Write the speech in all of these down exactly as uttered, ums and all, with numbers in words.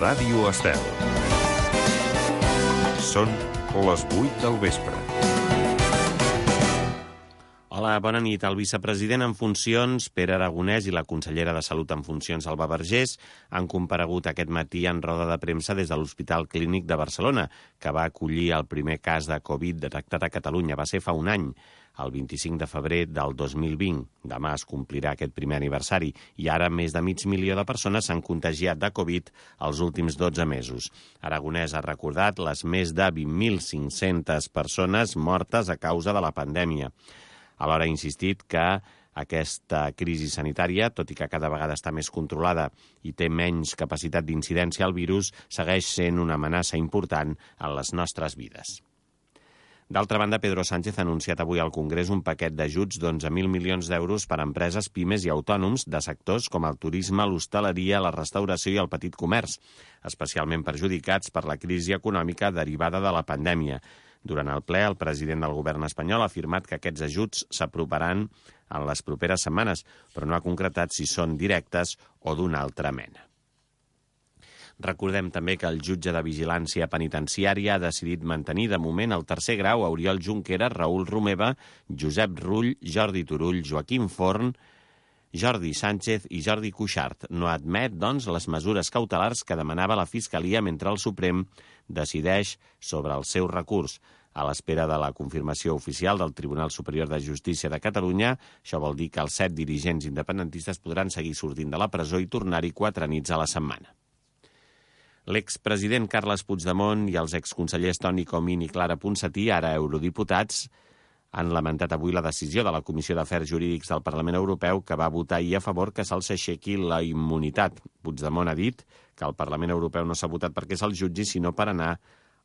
Ràdio Estel. Són les vuit del vespre. Hola, bona nit. El vicepresident en funcions, Pere Aragonès, i la consellera de Salut en funcions, Alba Vergés, han comparegut aquest matí en roda de premsa des de l'Hospital Clínic de Barcelona, que va acollir el primer cas de Covid detectat a Catalunya. Va ser fa un any, el vint-i-cinc de febrer del dos mil vint. Demà es complirà aquest primer aniversari i ara més de mig milió de persones s'han contagiat de Covid els últims dotze mesos. Aragonès ha recordat les més de vint mil cinc-centes persones mortes a causa de la pandèmia. Alhora ha insistit que aquesta crisi sanitària, tot i que cada vegada està més controlada i té menys capacitat d'incidència al virus, segueix sent una amenaça important en les nostres vides. D'altra banda, Pedro Sánchez ha anunciat avui al Congrés un paquet d'ajuts d'onze mil milions d'euros per a empreses, pimes i autònoms de sectors com el turisme, l'hostaleria, la restauració i el petit comerç, especialment perjudicats per la crisi econòmica derivada de la pandèmia. Durant el ple, el president del govern espanyol ha afirmat que aquests ajuts s'aprovaran en les properes setmanes, però no ha concretat si són directes o d'una altra mena. Recordem també que el jutge de Vigilància Penitenciària ha decidit mantenir de moment el tercer grau a Oriol Junqueras, Raül Romeva, Josep Rull, Jordi Turull, Joaquim Forn, Jordi Sánchez i Jordi Cuixart. No admet, doncs, les mesures cautelars que demanava la Fiscalia mentre el Suprem decideix sobre el seu recurs. A l'espera de la confirmació oficial del Tribunal Superior de Justícia de Catalunya, això vol dir que els set dirigents independentistes podran seguir sortint de la presó i tornar-hi quatre nits a la setmana. L'expresident Carles Puigdemont i els exconsellers Toni Comín i Clara Ponsatí, ara eurodiputats, han lamentat avui la decisió de la Comissió d'Afers Jurídics del Parlament Europeu que va votar ahir a favor que se'ls aixequi la immunitat. Puigdemont ha dit que el Parlament Europeu no s'ha votat perquè se'ls jutgi, sinó per anar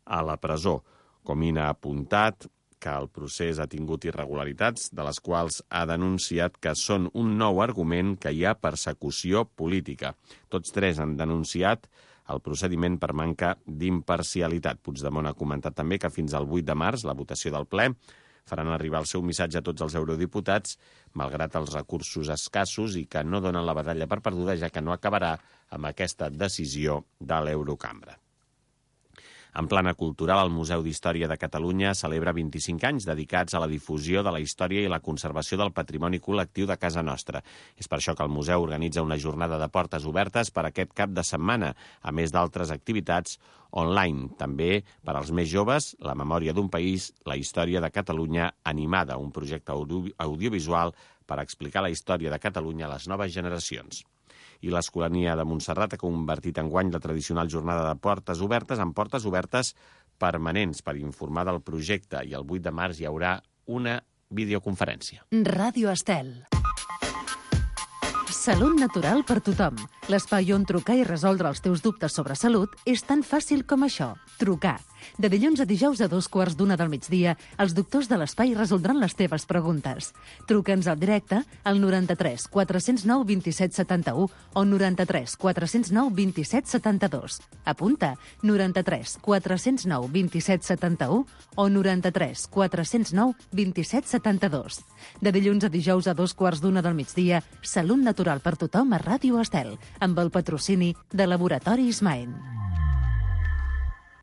a la presó. Comín ha apuntat que el procés ha tingut irregularitats, de les quals ha denunciat que són un nou argument que hi ha persecució política. Tots tres han denunciat el procediment per manca d'imparcialitat. Puigdemont ha comentat també que fins al vuit de març, la votació del ple, faran arribar el seu missatge a tots els eurodiputats, malgrat els recursos escassos, i que no donen la batalla per perduda, ja que no acabarà amb aquesta decisió de l'Eurocambra. En plana cultural, el Museu d'Història de Catalunya celebra vint-i-cinc anys dedicats a la difusió de la història i la conservació del patrimoni col·lectiu de casa nostra. És per això que el museu organitza una jornada de portes obertes per aquest cap de setmana, a més d'altres activitats online. També, per als més joves, La memòria d'un país, la història de Catalunya animada, un projecte audio- audiovisual per explicar la història de Catalunya a les noves generacions. I l'Escolania de Montserrat ha convertit enguany la tradicional jornada de portes obertes en portes obertes permanents per informar del projecte, i el vuit de març hi haurà una videoconferència. Ràdio Estel. Salut natural per tothom. L'espai on trucar i resoldre els teus dubtes sobre salut és tan fàcil com això. Trucar. De dilluns a dijous a dos quarts d'una del migdia, els doctors de l'espai resoldran les teves preguntes. Truca'ns al directe al noranta-tres quatre zero nou vint set setanta-u o noranta-tres quatre zero nou vint set setanta-dos. Apunta, noranta-tres quatre zero nou vint set setanta-u o noranta-tres quatre zero nou vint set setanta-dos. De dilluns a dijous a dos quarts d'una del migdia, Salut natural per tothom a Ràdio Estel, amb el patrocini de Laboratoris Maen.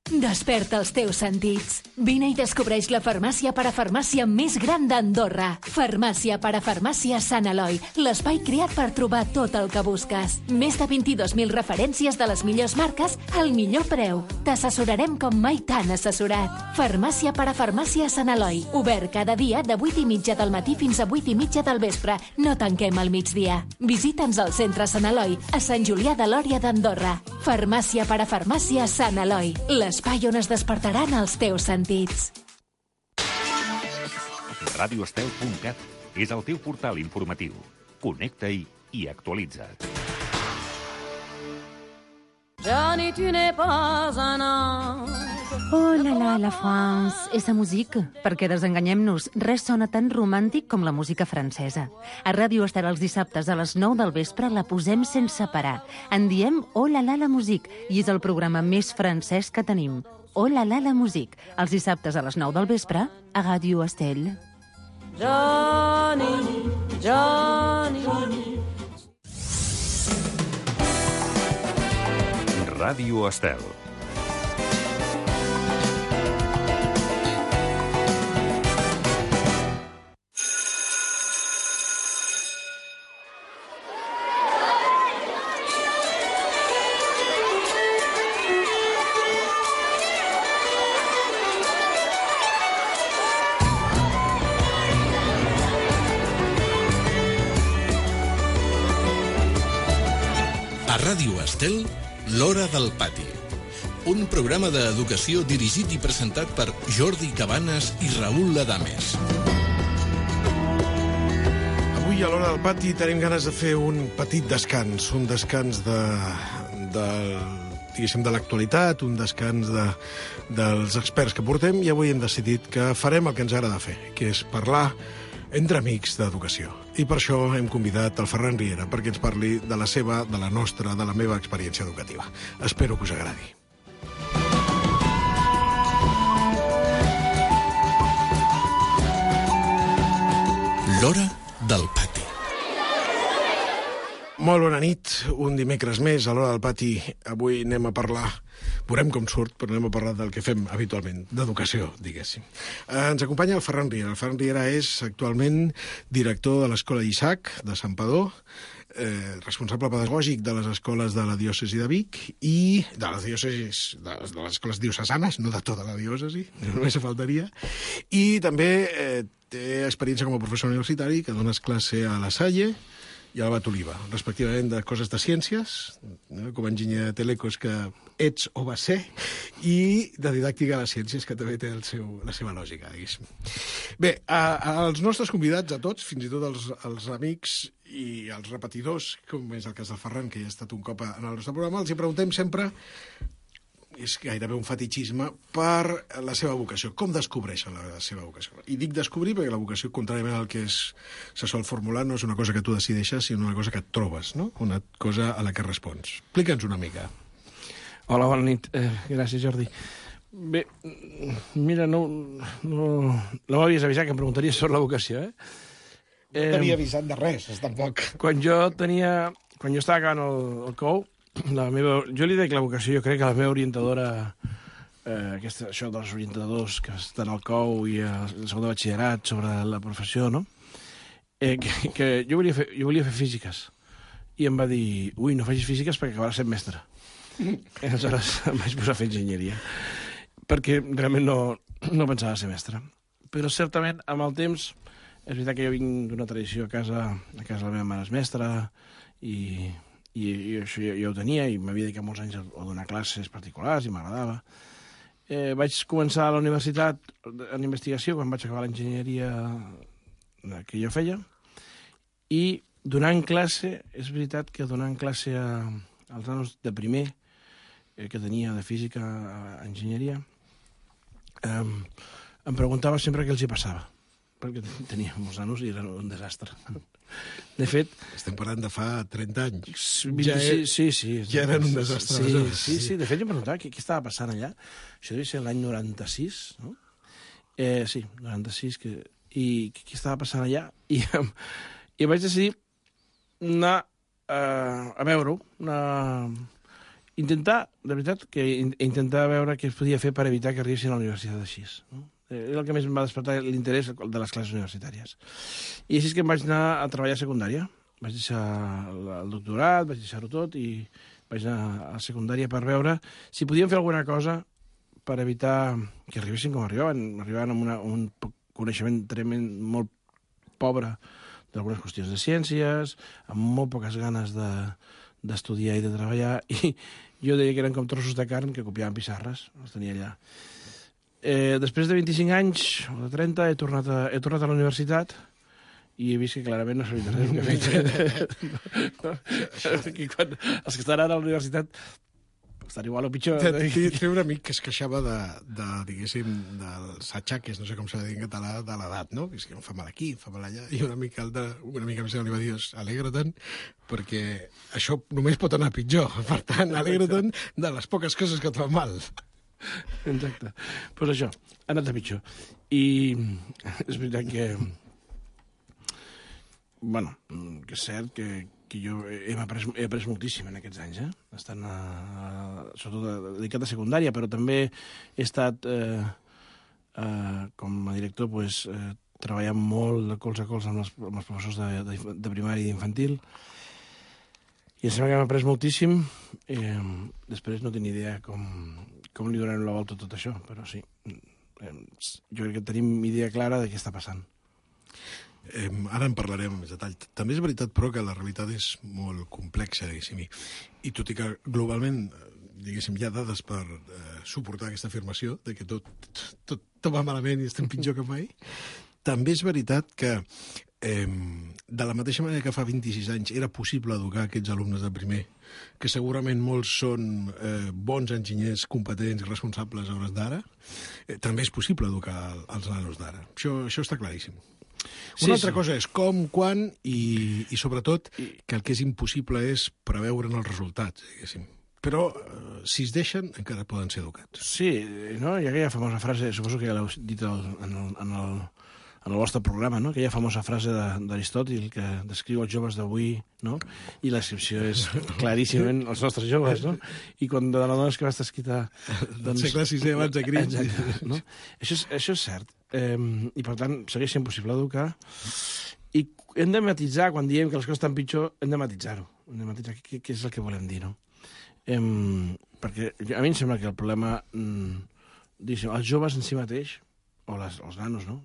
Desperta els teus sentits. Vine i descobreix la farmàcia parafarmàcia més gran d'Andorra. Farmàcia parafarmàcia Sant Eloi, l'espai creat per trobar tot el que busques. Més de vint-i-dos mil referències de les millors marques al millor preu. T'assessorarem com mai t'han assessorat. Farmàcia parafarmàcia Sant Eloi, obert cada dia de vuit i mitja del matí fins a vuit i mitja del vespre. No tanquem al migdia. Visita'ns al centre Sant Eloi, a Sant Julià de Lòria d'Andorra. Farmàcia parafarmàcia Sant Eloi, l'espai on es despertaran els teus sentits. radio estel punt cat és el teu portal informatiu. Connecta-hi i actualitza't. Johnny, tu n'es pas un ange. Oh la la, la France, esa musique. Perquè desenganyem-nos, res sona tan romàntic com la música francesa. A Ràdio Estel els dissabtes a les nou del vespre la posem sense parar. En diem Oh la la, la musique, i és el programa més francès que tenim. Oh la la, la musique, els dissabtes a les nou del vespre a Ràdio Estel. Johnny, Johnny, Johnny. Ràdio Estel. A Ràdio Estel, l'Hora del Pati. Un programa d'educació dirigit i presentat per Jordi Cabanes i Raül Adames. Avui a l'Hora del Pati tenim ganes de fer un petit descans, un descans de, de, diguéssim, de l'actualitat, un descans de, dels experts que portem, i avui hem decidit que farem el que ens agrada fer, que és parlar entre amics d'educació. I per això hem convidat el Ferran Riera perquè ens parli de la seva, de la nostra, de la meva experiència educativa. Espero que us agradi. L'Hora del Pati. Molt bona nit, un dimecres més a l'Hora del Pati. Avui anem a parlar, veurem com surt, però anem a parlar del que fem habitualment, d'educació, diguéssim. Eh, ens acompanya el Ferran Riera. El Ferran Riera és actualment director de l'Escola Isaac de Santpedor, eh, responsable pedagògic de les escoles de la diòcesi de Vic i de les diòcesis, de les, de les escoles diocesanes, no de tota la diòcesi, només faltaria, i també eh, té experiència com a professor universitari, que dones classe a la Salle i a l'Abat Oliva, respectivament de coses de ciències, no? Com a enginyer de telecos que ets o vas ser, i de didàctica de les ciències, que també té el seu, la seva lògica, diguéssim. Bé, a, als nostres convidats, a tots, fins i tot els, els amics i els repetidors, com és el cas del Ferran, que ja ha estat un cop en el nostre programa, els hi preguntem sempre, és gairebé un fetichisme, per la seva vocació. Com descobreixen la seva vocació? I dic descobrir perquè la vocació, contràriament al que és, se sol formular, no és una cosa que tu decideixes, sinó una cosa que et trobes, no? Una cosa a la que respons. Explica'ns una mica. Hola, bona nit. Eh, gràcies, Jordi. Bé, mira, no, no, no m'havies avisat que em preguntaries sobre la vocació, eh? No t'havia avisat de res, tampoc. Quan jo tenia... Quan jo estava acabant el, el C O U, la meva, jo li dic la vocació, jo crec que la meva orientadora, eh, aquesta, això dels orientadors que estan al C O U i al segon de batxillerat sobre la professió, no? Eh, que, que jo, volia fer, jo volia fer físiques. I em va dir, ui, no facis físiques perquè acabaràs sent mestre. I aleshores em vaig posar a fer enginyeria, perquè realment no, no pensava ser mestre. Però certament, amb el temps, és veritat que jo vinc d'una tradició a casa, a casa la meva mare és mestra, i... I, i això jo, jo ho tenia, i m'havia dedicat molts anys a, a donar classes particulars, i m'agradava. Eh, vaig començar a la universitat en investigació, quan vaig acabar l'enginyeria que jo feia, i donant classe, és veritat que donant classe a, als nanos de primer, eh, que tenia de física a, a enginyeria, eh, em preguntava sempre què els hi passava, perquè tenia molts nanos i era un desastre. De fet... Estem parlant de fa trenta anys. Ja sí, sí, sí. Ja eren un desastre. Sí, sí, sí. De fet, jo em preguntava què, què estava passant allà. Això devia ser l'any noranta-sis, no? Eh, sí, noranta-sis. Que... I què estava passant allà? I, i vaig decidir anar uh, a veure-ho, anar... intentar, de veritat, que intentar veure què es podia fer per evitar que arribessin a la universitat així, no? És el que més em va despertar l'interès de les classes universitàries. I així és que em vaig anar a treballar a secundària. Vaig deixar el doctorat, vaig deixar-ho tot i vaig anar a secundària per veure si podíem fer alguna cosa per evitar que arribessin com arribaven. Arribaven amb una, un coneixement tremend, molt pobre d'algunes qüestions de ciències, amb molt poques ganes de, d'estudiar i de treballar, i jo deia que eren com trossos de carn que copiaven pissarres, els tenia allà. Eh, després de vint-i-cinc anys, o de trenta, he tornat a, he tornat a la universitat i he vist que clarament no sabia res del que he fet. No? No? Quan, els que estan ara a la universitat estan igual o pitjor. Té un amic que es queixava de, de diguéssim, dels atxaques, no sé com s'ha de dir en català, de l'edat, no? Que és que em fa mal aquí, em fa mal allà. I un amic altre, una mica més li va dir, alegra-te'n, perquè això només pot anar pitjor. Per tant, alegra-te'n de les poques coses que et fan mal. Exacte. Doncs pues això, ha anat a pitjor. I és veritat que... Bueno, que és cert que, que jo he après, he après moltíssim en aquests anys, eh? Estant a, a, sobretot dedicat a secundària, però també he estat, eh, eh, com a director, pues, eh, treballant molt de colze a colze amb els, amb els professors de, de, de primària i d'infantil, i em sembla que hem après moltíssim. Eh, després no tinc idea com, com li donem la volta a tot això, però sí, eh, jo crec que tenim idea clara de què està passant. Eh, ara en parlarem amb més detall. També és veritat, però, que la realitat és molt complexa, diguéssim, i, i tot i que globalment, diguéssim, hi ha dades per eh, suportar aquesta afirmació de que tot, tot, tot va malament i estem pitjor que mai, també és veritat que eh, de la mateixa manera que fa vint-i-sis anys era possible educar aquests alumnes de primer, que segurament molts són eh, bons enginyers, competents i responsables a hores d'ara, eh, també és possible educar els nanos d'ara. Això, això està claríssim. Una sí, altra sí. cosa és com, quan i, i sobretot que el que és impossible és preveure'n els resultats, diguéssim. Però eh, si es deixen encara poden ser educats. Sí, no? Hi ha aquella famosa frase, suposo que ja l'heu dit el, en, el, en, el, en el vostre programa, no? Aquella famosa frase d'Aristòtil que descriu els joves d'avui, no? I la descripció és claríssimament els nostres joves, no? I quan de la dona que va estar escrita... Doncs... El segle sisè abans de Crist. Exacte, no? Això és, això és cert. Eh, I per tant segueix sent possible educar, i hem de matitzar, quan diem que les coses estan pitjor, hem de matitzar-ho, hem de matitzar què, què és el que volem dir, no? Eh, perquè a mi em sembla que el problema, mm, diguéssim, els joves en si mateix, o les, els nanos, no?,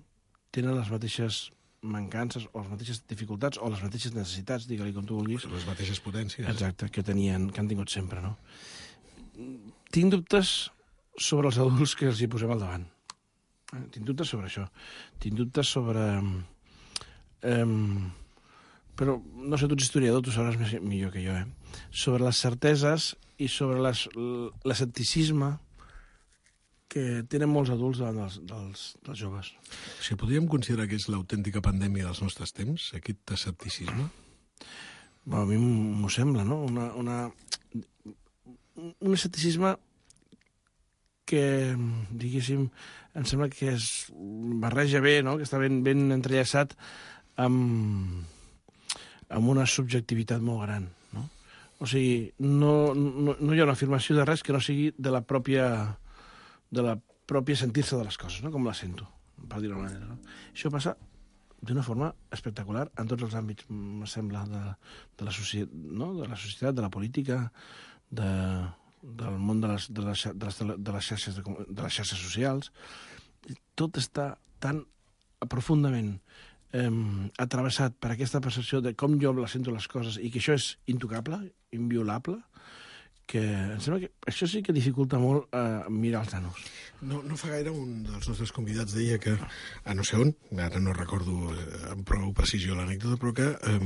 tenen les mateixes mancances o les mateixes dificultats o les mateixes necessitats, digue-li com tu vulguis. Les mateixes potències. Exacte, que tenien, que han tingut sempre, no? Tinc dubtes sobre els adults que els hi posem al davant. Tinc dubtes sobre això. Tinc dubtes sobre... Um, però, no sé, tu ets historiador, tu sabràs més, millor que jo, eh? Sobre les certeses i sobre l'escepticisme que tenen molts adults davant dels, dels, dels joves. Si podríem considerar que és l'autèntica pandèmia dels nostres temps, aquest escepticisme? Bueno, a mi m'ho sembla, no? Una, una, un escepticisme que, diguéssim, em sembla que es barreja bé, no? Que està ben, ben entrellaçat amb, amb una subjectivitat molt gran, no? O sigui, no, no, no hi ha una afirmació de res que no sigui de la pròpia, de la pròpia sentir-se de les coses, no? Com la sento, per dir-ho d'una manera, no? Això passa d'una forma espectacular en tots els àmbits, me sembla, de, de, la, societat, no? De la societat, de la política, de... del món de les, de les, de les, de les, xarxes, de, de les xarxes socials. Tot està tan profundament eh, atravessat per aquesta percepció de com jo la sento les coses i que això és intocable, inviolable, que em sembla que això sí que dificulta molt eh, mirar els nanos. No, no fa gaire un dels nostres convidats deia que, a no sé on, ara no recordo amb prou precisió l'anècdota, però que eh,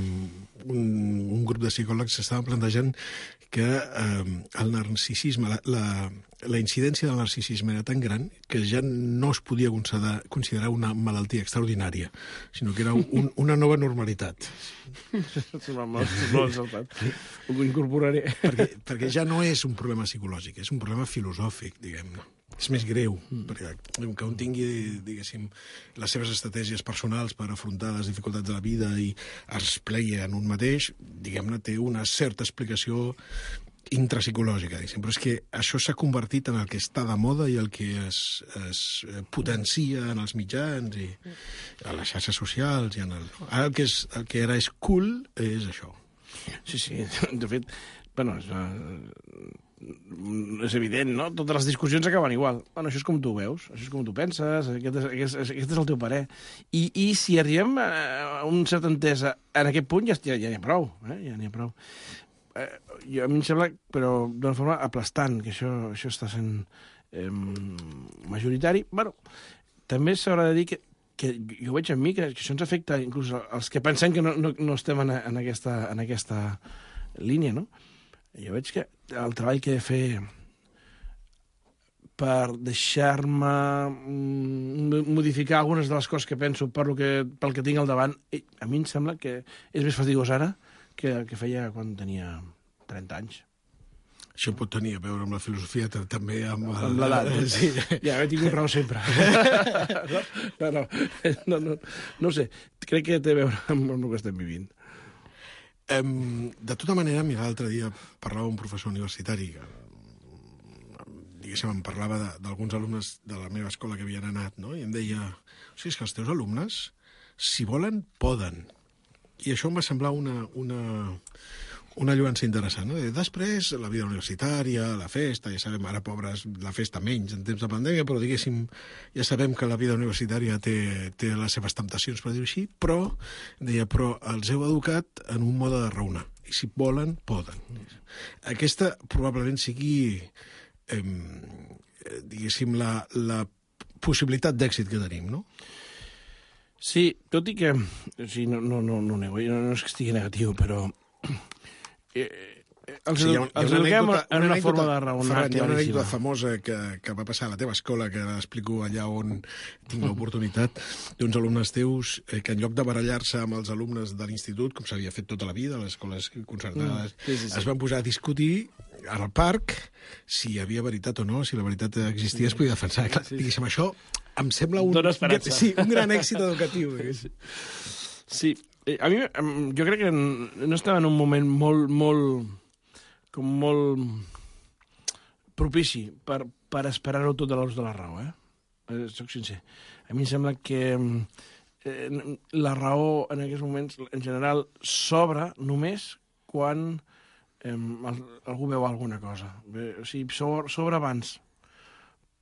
un, un grup de psicòlegs s'estava plantejant que eh, el narcisisme, la, la, la incidència del narcisisme era tan gran que ja no es podia considerar, considerar una malaltia extraordinària, sinó que era un, una nova normalitat. Ho incorporaré. Perquè, perquè ja no és un problema psicològic, és un problema filosòfic, diguem-ne. És més greu, perquè que un tingui, diguéssim, les seves estratègies personals per afrontar les dificultats de la vida i es plegui en un mateix, diguem-ne, té una certa explicació intrapsicològica, diguéssim. Però és que això s'ha convertit en el que està de moda i el que es, es potencia en els mitjans i a les xarxes socials i en el... Ara el que, és, el que ara és cool és això. Sí, sí, de fet, bueno, és, és evident, no? Totes les discussions acaben igual. Bueno, això és com tu ho veus, això és com tu penses, aquest és, aquest és, aquest és el teu parer. I, i si arribem a un cert entesa en aquest punt, ja, ja, ja n'hi ha prou, eh? Ja n'hi ha prou. Eh, jo, a mi em sembla, però d'una forma aplastant, que això, això està sent eh, majoritari. Bueno, també s'haurà de dir que, que jo veig en mi que, que això ens afecta inclús als que pensem que no, no, no estem en, en, aquesta, en aquesta línia, no? Jo veig que el treball que he de fer per deixar-me modificar algunes de les coses que penso per lo que, pel que tinc al davant, a mi em sembla que és més fatigós ara que el que feia quan tenia trenta anys. Això pot tenir a veure amb la filosofia, també amb... Amb l'edat. Sí. Ja, he tingut raó sempre. No, no, no, no, no sé, crec que té a veure amb el que estem vivint. Um, de tota manera, mira, l'altre dia parlava un professor universitari que, diguéssim, em parlava d'alguns alumnes de la meva escola que havien anat, no? I em deia, o sigui, és que els teus alumnes, si volen, poden. I això em va semblar una, una, una lluança interessant, no? Després, la vida universitària, la festa, ja sabem, ara, pobres, la festa menys en temps de pandèmia, però, diguéssim, ja sabem que la vida universitària té, té les seves temptacions, per dir-ho així, però, deia, però els heu educat en un mode de raonar. I si volen, poden. Aquesta probablement sigui, eh, diguéssim, la, la possibilitat d'èxit que tenim, no? Sí, tot i que... Sí, no, no, no, no, nego, no, no és que estigui negatiu, però... Eh, eh, els sí, edu els eduquem en una forma de raonar claríssima. Hi ha una anècdota claríssima. famosa que, que va passar a la teva escola, que l'explico allà on tinc l'oportunitat, d'uns alumnes teus eh, que en lloc de barallar-se amb els alumnes de l'institut, com s'havia fet tota la vida, a les escoles concertades, Mm, sí, sí, sí. es van posar a discutir al parc si hi havia veritat o no, si la veritat existia, es podia defensar. Clar, diguéssim, això em sembla un, Dóna esperança. sí, un gran èxit educatiu. Sí. Sí, eh, a mi, em, jo crec que no estava en un moment molt, molt, com molt propici per, per esperar-ho tot a l'ús de la raó, eh? eh? Soc sincer. A mi em sembla que eh, la raó en aquests moments, en general, s'obre només quan eh, algú veu alguna cosa. Bé, o sigui, s'obre abans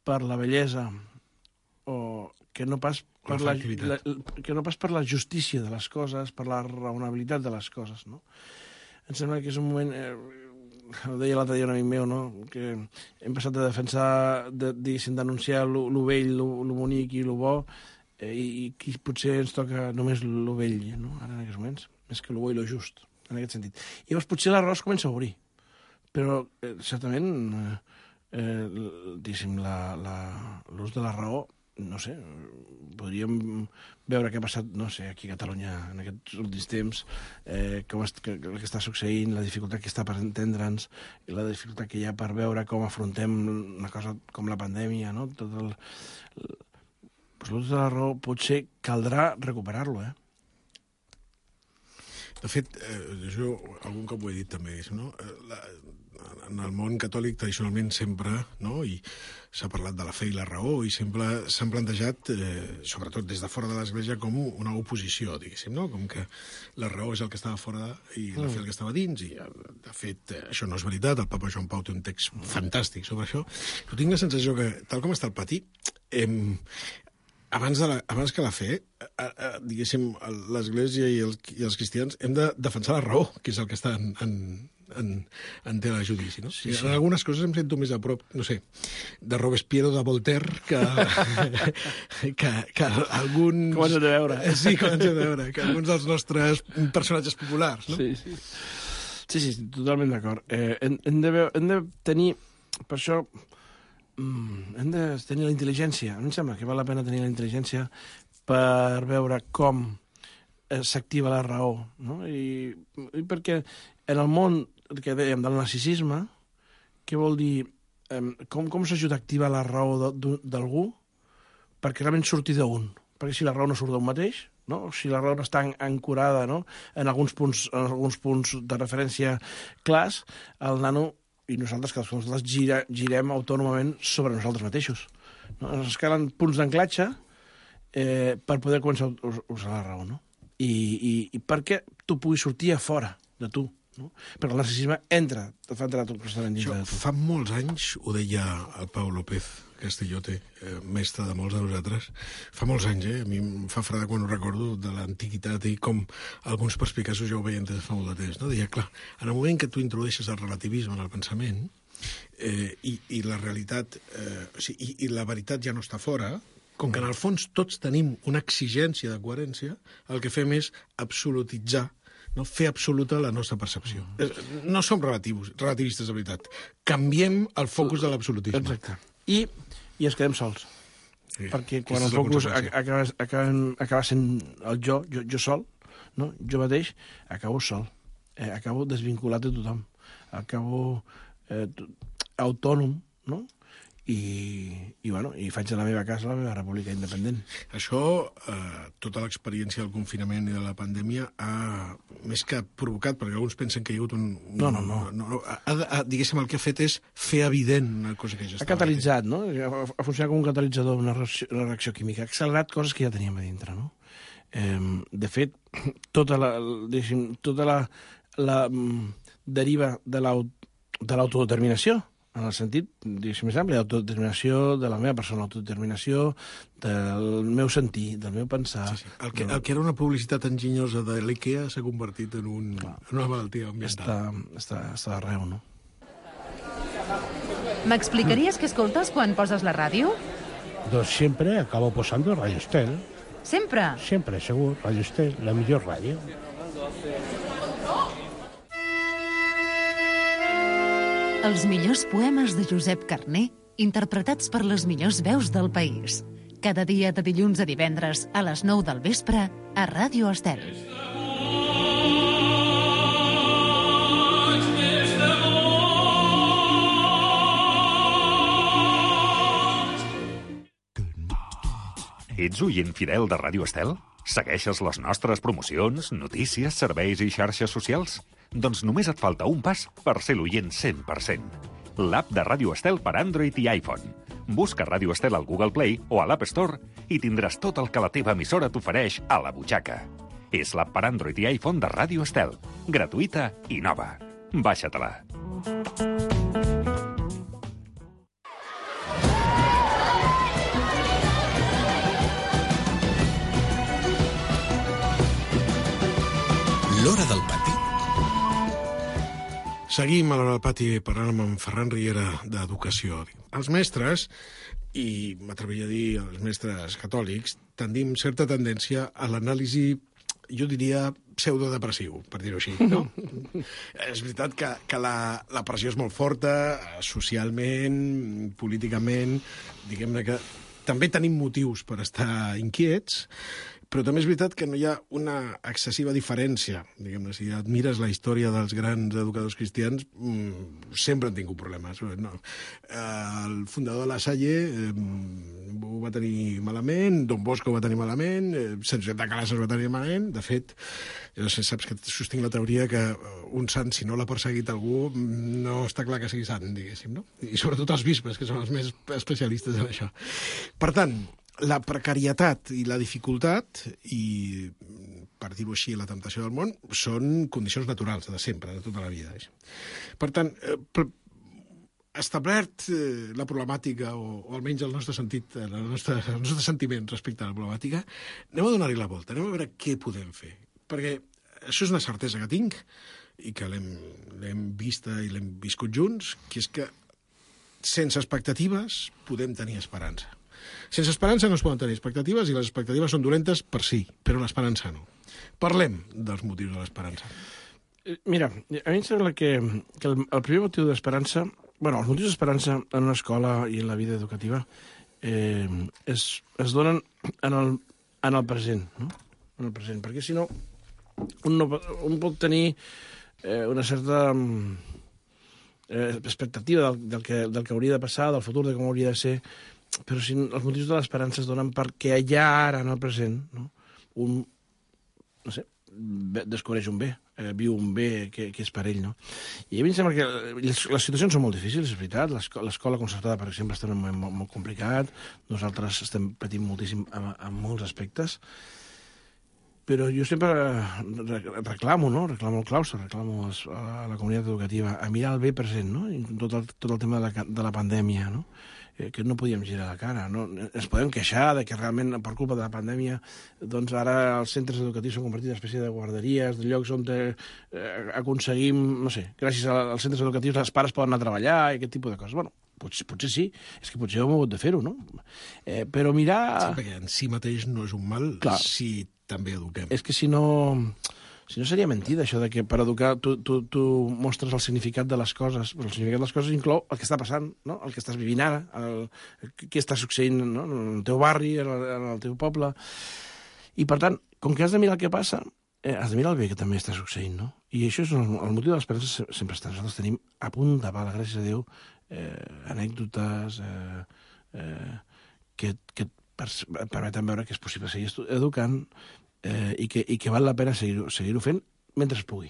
per la bellesa o que no pas per la, la, que no pas per la justícia de les coses, per la raonabilitat de les coses, no? Em sembla que és un moment... Eh, ho deia l'altre dia un amic meu, no? Que hem passat de defensar, de, diguéssim, denunciar lo, lo vell, lo, lo bonic i lo bo, eh, i, i qui potser ens toca només lo vell, no? Ara en aquests moments, més que lo bo i lo just, en aquest sentit. I llavors potser l'arròs comença a obrir, però eh, certament, eh, eh, diguéssim, l'ús de la raó, no sé, podríem veure què ha passat, no sé, aquí a Catalunya en aquests últims temps, eh, com es, que, el que està succeint, la dificultat que està per entendre'ns, i la dificultat que hi ha per veure com afrontem una cosa com la pandèmia, no? Tot el... el pues l'ús de la raó potser caldrà recuperar-lo, eh? De fet, eh, jo algun cop ho he dit també, no? La, en el món catòlic tradicionalment sempre, no? I s'ha parlat de la fe i la raó, i sempre s'han plantejat, eh, sobretot des de fora de l'Església, com una oposició, diguéssim, no? Com que la raó és el que estava fora i la fe el que estava dins, i de fet això no és veritat, el papa Joan Pau té un text fantàstic sobre això, però tinc la sensació que, tal com està el pati, eh, abans, de la, abans que la fe, eh, eh, diguéssim, l'Església i els, i els cristians hem de defensar la raó, que és el que està en, en, en, en tela de judici, no? Sí, sí. En algunes coses em sento més a prop, no sé, de Robespierre o de Voltaire que, que, que alguns... Com ens hem de veure. Sí, com ens hem de veure, que alguns dels nostres personatges populars, no? Sí, sí. Sí, sí, totalment d'acord. Eh, hem, hem, de, hem de tenir, per això... Mm, hem de tenir la intel·ligència. A mi em sembla que val la pena tenir la intel·ligència per veure com eh, s'activa la raó, no? I, i perquè en el món que dèiem del narcisisme, què vol dir? Eh, com com s'ajuda a activar la raó d'algú perquè realment surti d'un? Perquè si la raó no surt d'un mateix, no? Si la raó no està ancorada, no? en, alguns punts, en alguns punts de referència clars, el nano i nosaltres, que nosaltres gira, girem autònomament sobre nosaltres mateixos. No? Ens calen punts d'anclatge eh, per poder començar a usar la raó, no? I, i, i perquè tu puguis sortir a fora de tu, no? Perquè el narcisisme entra, et fa entrar tot constantment dintre de tu. Fa molts anys, ho deia el Pau López Castellote, eh, mestre de molts de nosaltres, fa molts anys, eh? A mi em fa freda quan ho recordo, de l'antiguitat i com alguns perspicaços ja ho veien des de fa molt de temps, no? Deia, clar, en el moment que tu introdueixes el relativisme en el pensament, eh, i, i la realitat, eh, o sigui, i, i la veritat ja no està fora, com que en el fons tots tenim una exigència de coherència, el que fem és absolutitzar, no? Fer absoluta la nostra percepció. Mm. No som relatius, relativistes de veritat. Canviem el focus de l'absolutisme. Exacte. I, i ens quedem sols. Sí. Perquè quan el Aquesta és la focus conseqüència. acaba, acaba, acaba sent el jo, jo, jo sol, no? Jo mateix, acabo sol. Eh, acabo desvinculat de tothom. Acabo eh, autònom, no? i, i, bueno, i faig de la meva casa la meva república independent. Això, eh, tota l'experiència del confinament i de la pandèmia ha, més que provocat, perquè alguns pensen que hi ha hagut un... un no, no, no. no, no ha, ha, diguéssim, el que ha fet és fer evident una cosa que ja estava... Ha catalitzat, no? Ha, ha funcionat com un catalitzador, una reacció, una reacció química. Ha accelerat coses que ja teníem a dintre, no? Eh, de fet, tota la, tota la, la deriva de l'autodeterminació, en el sentit, diguéssim, més ampli, l'autodeterminació de la meva persona, l'autodeterminació del meu sentir, del meu pensar... Sí, sí. El, que, el que era una publicitat enginyosa de l'IKEA s'ha convertit en, un, en una malaltia ambiental. Està, està, està d'arreu, no? M'explicaries què escoltes quan poses la ràdio? Doncs sempre acabo posando Radio Estel. Sempre? Sempre, segur. Radio Estel, la millor ràdio. Els millors poemes de Josep Carner, interpretats per les millors veus del país. Cada dia de dilluns a divendres a les nou del vespre a Ràdio Estel. Ets oient fidel de Ràdio Estel? Segueixes les nostres promocions, notícies, serveis i xarxes socials? Doncs només et falta un pas per ser l'oient cent per cent. L'app de Ràdio Estel per Android i iPhone. Busca Ràdio Estel al Google Play o a l'App Store i tindràs tot el que la teva emissora t'ofereix a la butxaca. És l'app per Android i iPhone de Ràdio Estel. Gratuïta i nova. Baixa-te-la. L'Hora del Pati. Seguim a l'Hora del Pati parlant amb en Ferran Riera d'Educació. Els mestres, i m'atreviria a dir els mestres catòlics, tendim certa tendència a l'anàlisi, jo diria, pseudodepressiu, per dir-ho així. No? És veritat que, que la, la pressió és molt forta, socialment, políticament, diguem-ne que també tenim motius per estar inquiets, però també és veritat que no hi ha una excessiva diferència. Diguem-ne, si admires la història dels grans educadors cristians, mmm, sempre han tingut problemes. No. El fundador de la Salle eh, ho va tenir malament, Don Bosco ho va tenir malament, eh, Sant Josep de Calasses ho va tenir malament. De fet, jo saps que sostinc la teoria que un sant, si no l'ha perseguit algú, no està clar que sigui sant, diguéssim, no? I sobretot els bisbes, que són els més especialistes en això. Per tant, la precarietat i la dificultat i, per dir-ho així, la temptació del món són condicions naturals de sempre, de tota la vida. Per tant, eh, establert eh, la problemàtica, o, o almenys el nostre sentit, el nostre, el nostre sentiment respecte a la problemàtica, anem a donar-hi la volta, anem a veure què podem fer. Perquè això és una certesa que tinc i que l'hem vista i l'hem viscut junts, que és que sense expectatives podem tenir esperança. Sense esperança no es poden tenir expectatives i les expectatives són dolentes per si, però l'esperança no. Parlem dels motius de l'esperança. Mira, a mi em sembla que, que el, el primer motiu d'esperança, bueno, els motius d'esperança en una escola i en la vida educativa eh, es, es donen en el, en el present, no? En el present, perquè si no, un, no, un pot tenir eh, una certa eh, expectativa del, del, que, del que hauria de passar, del futur, de com hauria de ser, però si els motius de l'esperança es donen perquè allà ara, en el present, no? Un, no sé, descobreix un bé, eh, viu un bé que, que és per ell, no? I a mi em sembla que les, les situacions són molt difícils, és veritat. L'escola concertada, per exemple, està en un moment molt, molt complicat. Nosaltres estem patint moltíssim en, en molts aspectes. Però jo sempre reclamo, no? Reclamo el claustre, reclamo a la comunitat educativa a mirar el bé present, no? I tot el, tot el tema de la, de la pandèmia, no? Que no podíem girar la cara, no? Ens podem queixar de que realment, per culpa de la pandèmia, doncs ara els centres educatius s'han convertit en una espècie de guarderies, de llocs on eh, aconseguim, no sé, gràcies als centres educatius els pares poden anar a treballar i aquest tipus de coses. Bueno, potser, potser sí, és que potser hem hagut de fer-ho, no? Eh, però mirar... Sí, perquè en si mateix no és un mal. Clar. Si també eduquem. És que si no... Si no seria mentida, això de que per educar tu, tu, tu mostres el significat de les coses, però el significat de les coses inclou el que està passant, no? El que estàs vivint ara, el, què està succeint, no? En el teu barri, en el, en el teu poble. I, per tant, com que has de mirar el que passa, eh, has de mirar el bé que també està succeint, no? I això és el, el motiu de l'esperança sempre està. Nosaltres tenim a punt de bala, gràcies a Déu, eh, anècdotes eh, eh, que, que et permeten veure que és possible seguir educant eh, i, que, i que val la pena seguir-ho seguir fent mentre es pugui.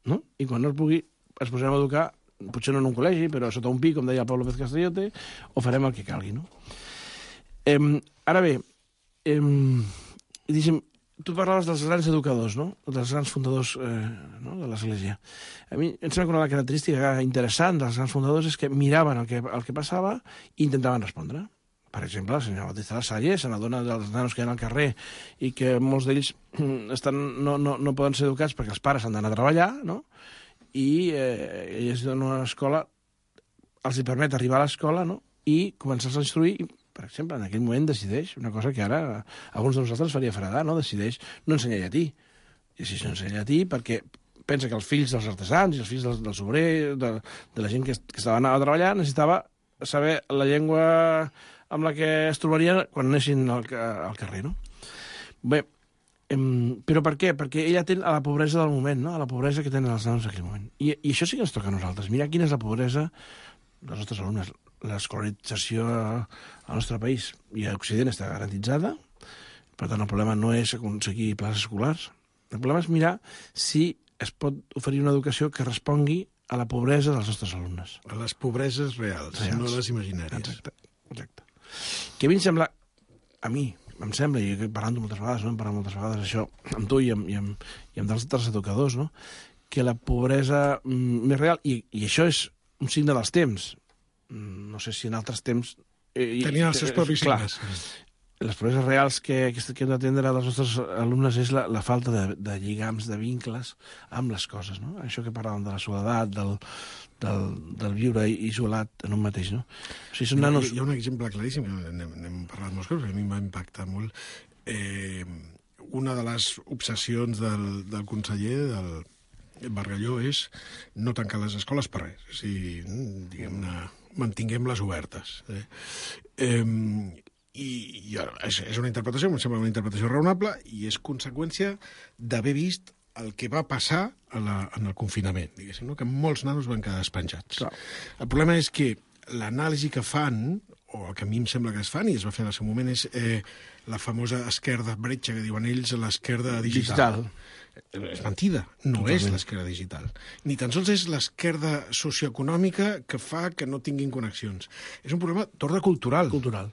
No? I quan no es pugui, es posarem a educar, potser no en un col·legi, però sota un pi, com deia el Pablo Pérez Castellote, o farem el que calgui. No? Eh, ara bé, eh, diguem, tu parlaves dels grans educadors, no? Dels grans fundadors eh, no? de l'Església. A mi em sembla que una característica interessant dels grans fundadors és que miraven el que, el que passava i intentaven respondre. Per exemple, el senyor Bautista Lasalle se n'adona dels nanos que hi ha al carrer i que molts d'ells estan, no, no, no poden ser educats perquè els pares han d'anar a treballar, no? I eh, ells donen una escola, els hi permet arribar a l'escola, no? I començar-se a instruir, i, per exemple, en aquell moment decideix una cosa que ara a alguns de nosaltres faria fredar, no? Decideix no ensenyar llatí. I si no ensenyar llatí perquè pensa que els fills dels artesans i els fills dels, dels obrers, de, de la gent que, que estava anant a treballar, necessitava saber la llengua amb la que es trobarien quan anessin al, al carrer, no? Bé, em, però per què? Perquè ella atén a la pobresa del moment, no? A la pobresa que tenen els nanos en aquell moment. I, i això sí que ens toca a nosaltres. Mira quina és la pobresa dels nostres alumnes. L'escolarització al nostre país i a Occident està garantitzada, per tant el problema no és aconseguir places escolars. El problema és mirar si es pot oferir una educació que respongui a la pobresa dels nostres alumnes. A les pobreses reals, reals. No les imaginàries. Exacte, exacte. Que a mi em sembla, a mi, em sembla, i he parlat moltes vegades, no? Hem parlat moltes vegades això amb tu i amb, i amb, i amb dels altres educadors, no? Que la pobresa mm, més real, i, i això és un signe dels temps, no sé si en altres temps... Eh, Tenien els seus propis signes. Les pobreses reals que, que hem d'atendre als nostres alumnes és la, la falta de, de lligams, de vincles amb les coses, no? Això que parlàvem de la soledat, del, del, del viure isolat en un mateix, no? O sigui, són nanos... Hi ha un exemple claríssim, n'hem, n'hem parlat molts cops, a mi em va impactar molt. Eh, una de les obsessions del, del conseller, del Bargalló, és no tancar les escoles per res. O sigui, diguem-ne, mantinguem-les obertes. Eh? Eh, I, i és, és una interpretació, em sembla una interpretació raonable, i és conseqüència d'haver vist el que va passar a la, en el confinament, diguéssim, no? Que molts nanos van quedar despenjats. Clar. El problema és que l'anàlisi que fan, o el que a mi em sembla que es fan, i es va fer en el seu moment, és eh, la famosa esquerda bretxa, que diuen ells, l'esquerda digital. digital. És mentida, no Totalment. És l'esquerda digital. Ni tan sols és l'esquerda socioeconòmica que fa que no tinguin connexions. És un problema d'ordre cultural. Cultural.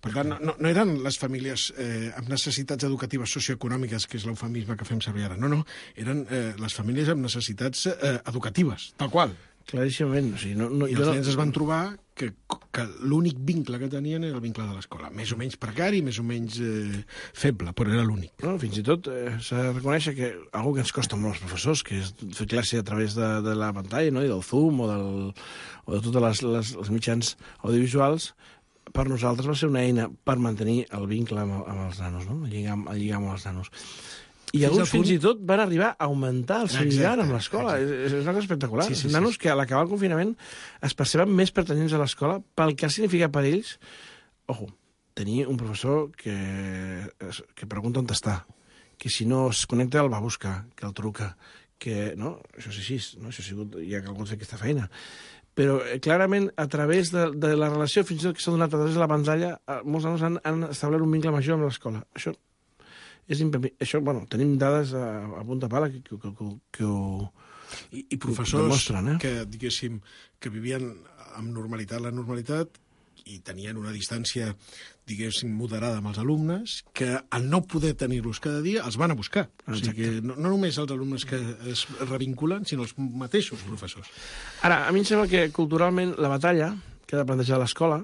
Per tant, no, no eren les famílies eh, amb necessitats educatives socioeconòmiques, que és l'eufemisme que fem servir ara. No, no, eren eh, les famílies amb necessitats eh, educatives, tal qual. Claríssimament. O sigui, no, no, I els no... nens es van trobar que, que l'únic vincle que tenien era el vincle de l'escola. Més o menys precari, més o menys eh, feble, però era l'únic. No, fins i tot eh, s'ha de reconèixer que algo que ens costa molt als professors, que és fer classe a través de, de la pantalla, no? I del Zoom o, del, o de totes les, les, els mitjans audiovisuals, per nosaltres va ser una eina per mantenir el vincle amb, amb els nanos, no? El lligam, el lligam amb els nanos. I fins alguns punt... fins i tot van arribar a augmentar el seu lligam amb l'escola. És, és una cosa espectacular. Sí, sí, sí, nanos sí. Que a l'acabar el confinament es perceben més pertanyents a l'escola pel que ha significat per ells, ojo, tenir un professor que, que pregunta on està, que si no es connecta el va a buscar, que el truca, que, no? Això és així, no? Això ha sigut, hi ha calgut fer aquesta feina. Però eh, clarament a través de, de la relació fins i tot que s'ha donat a través de la pantalla eh, molts nanos han, han establert un vincle major amb l'escola. Això és impepí... Això, bueno, tenim dades a, a punta pala que, que, que, que ho I, i professors demostren, eh? Que, diguéssim, que vivien amb normalitat la normalitat i tenien una distància, diguéssim, moderada amb els alumnes, que al no poder tenir-los cada dia els van a buscar. O sigui que no, no només els alumnes que es revinculen, sinó els mateixos professors. Ara, a mi em sembla que culturalment la batalla que ha de plantejar l'escola,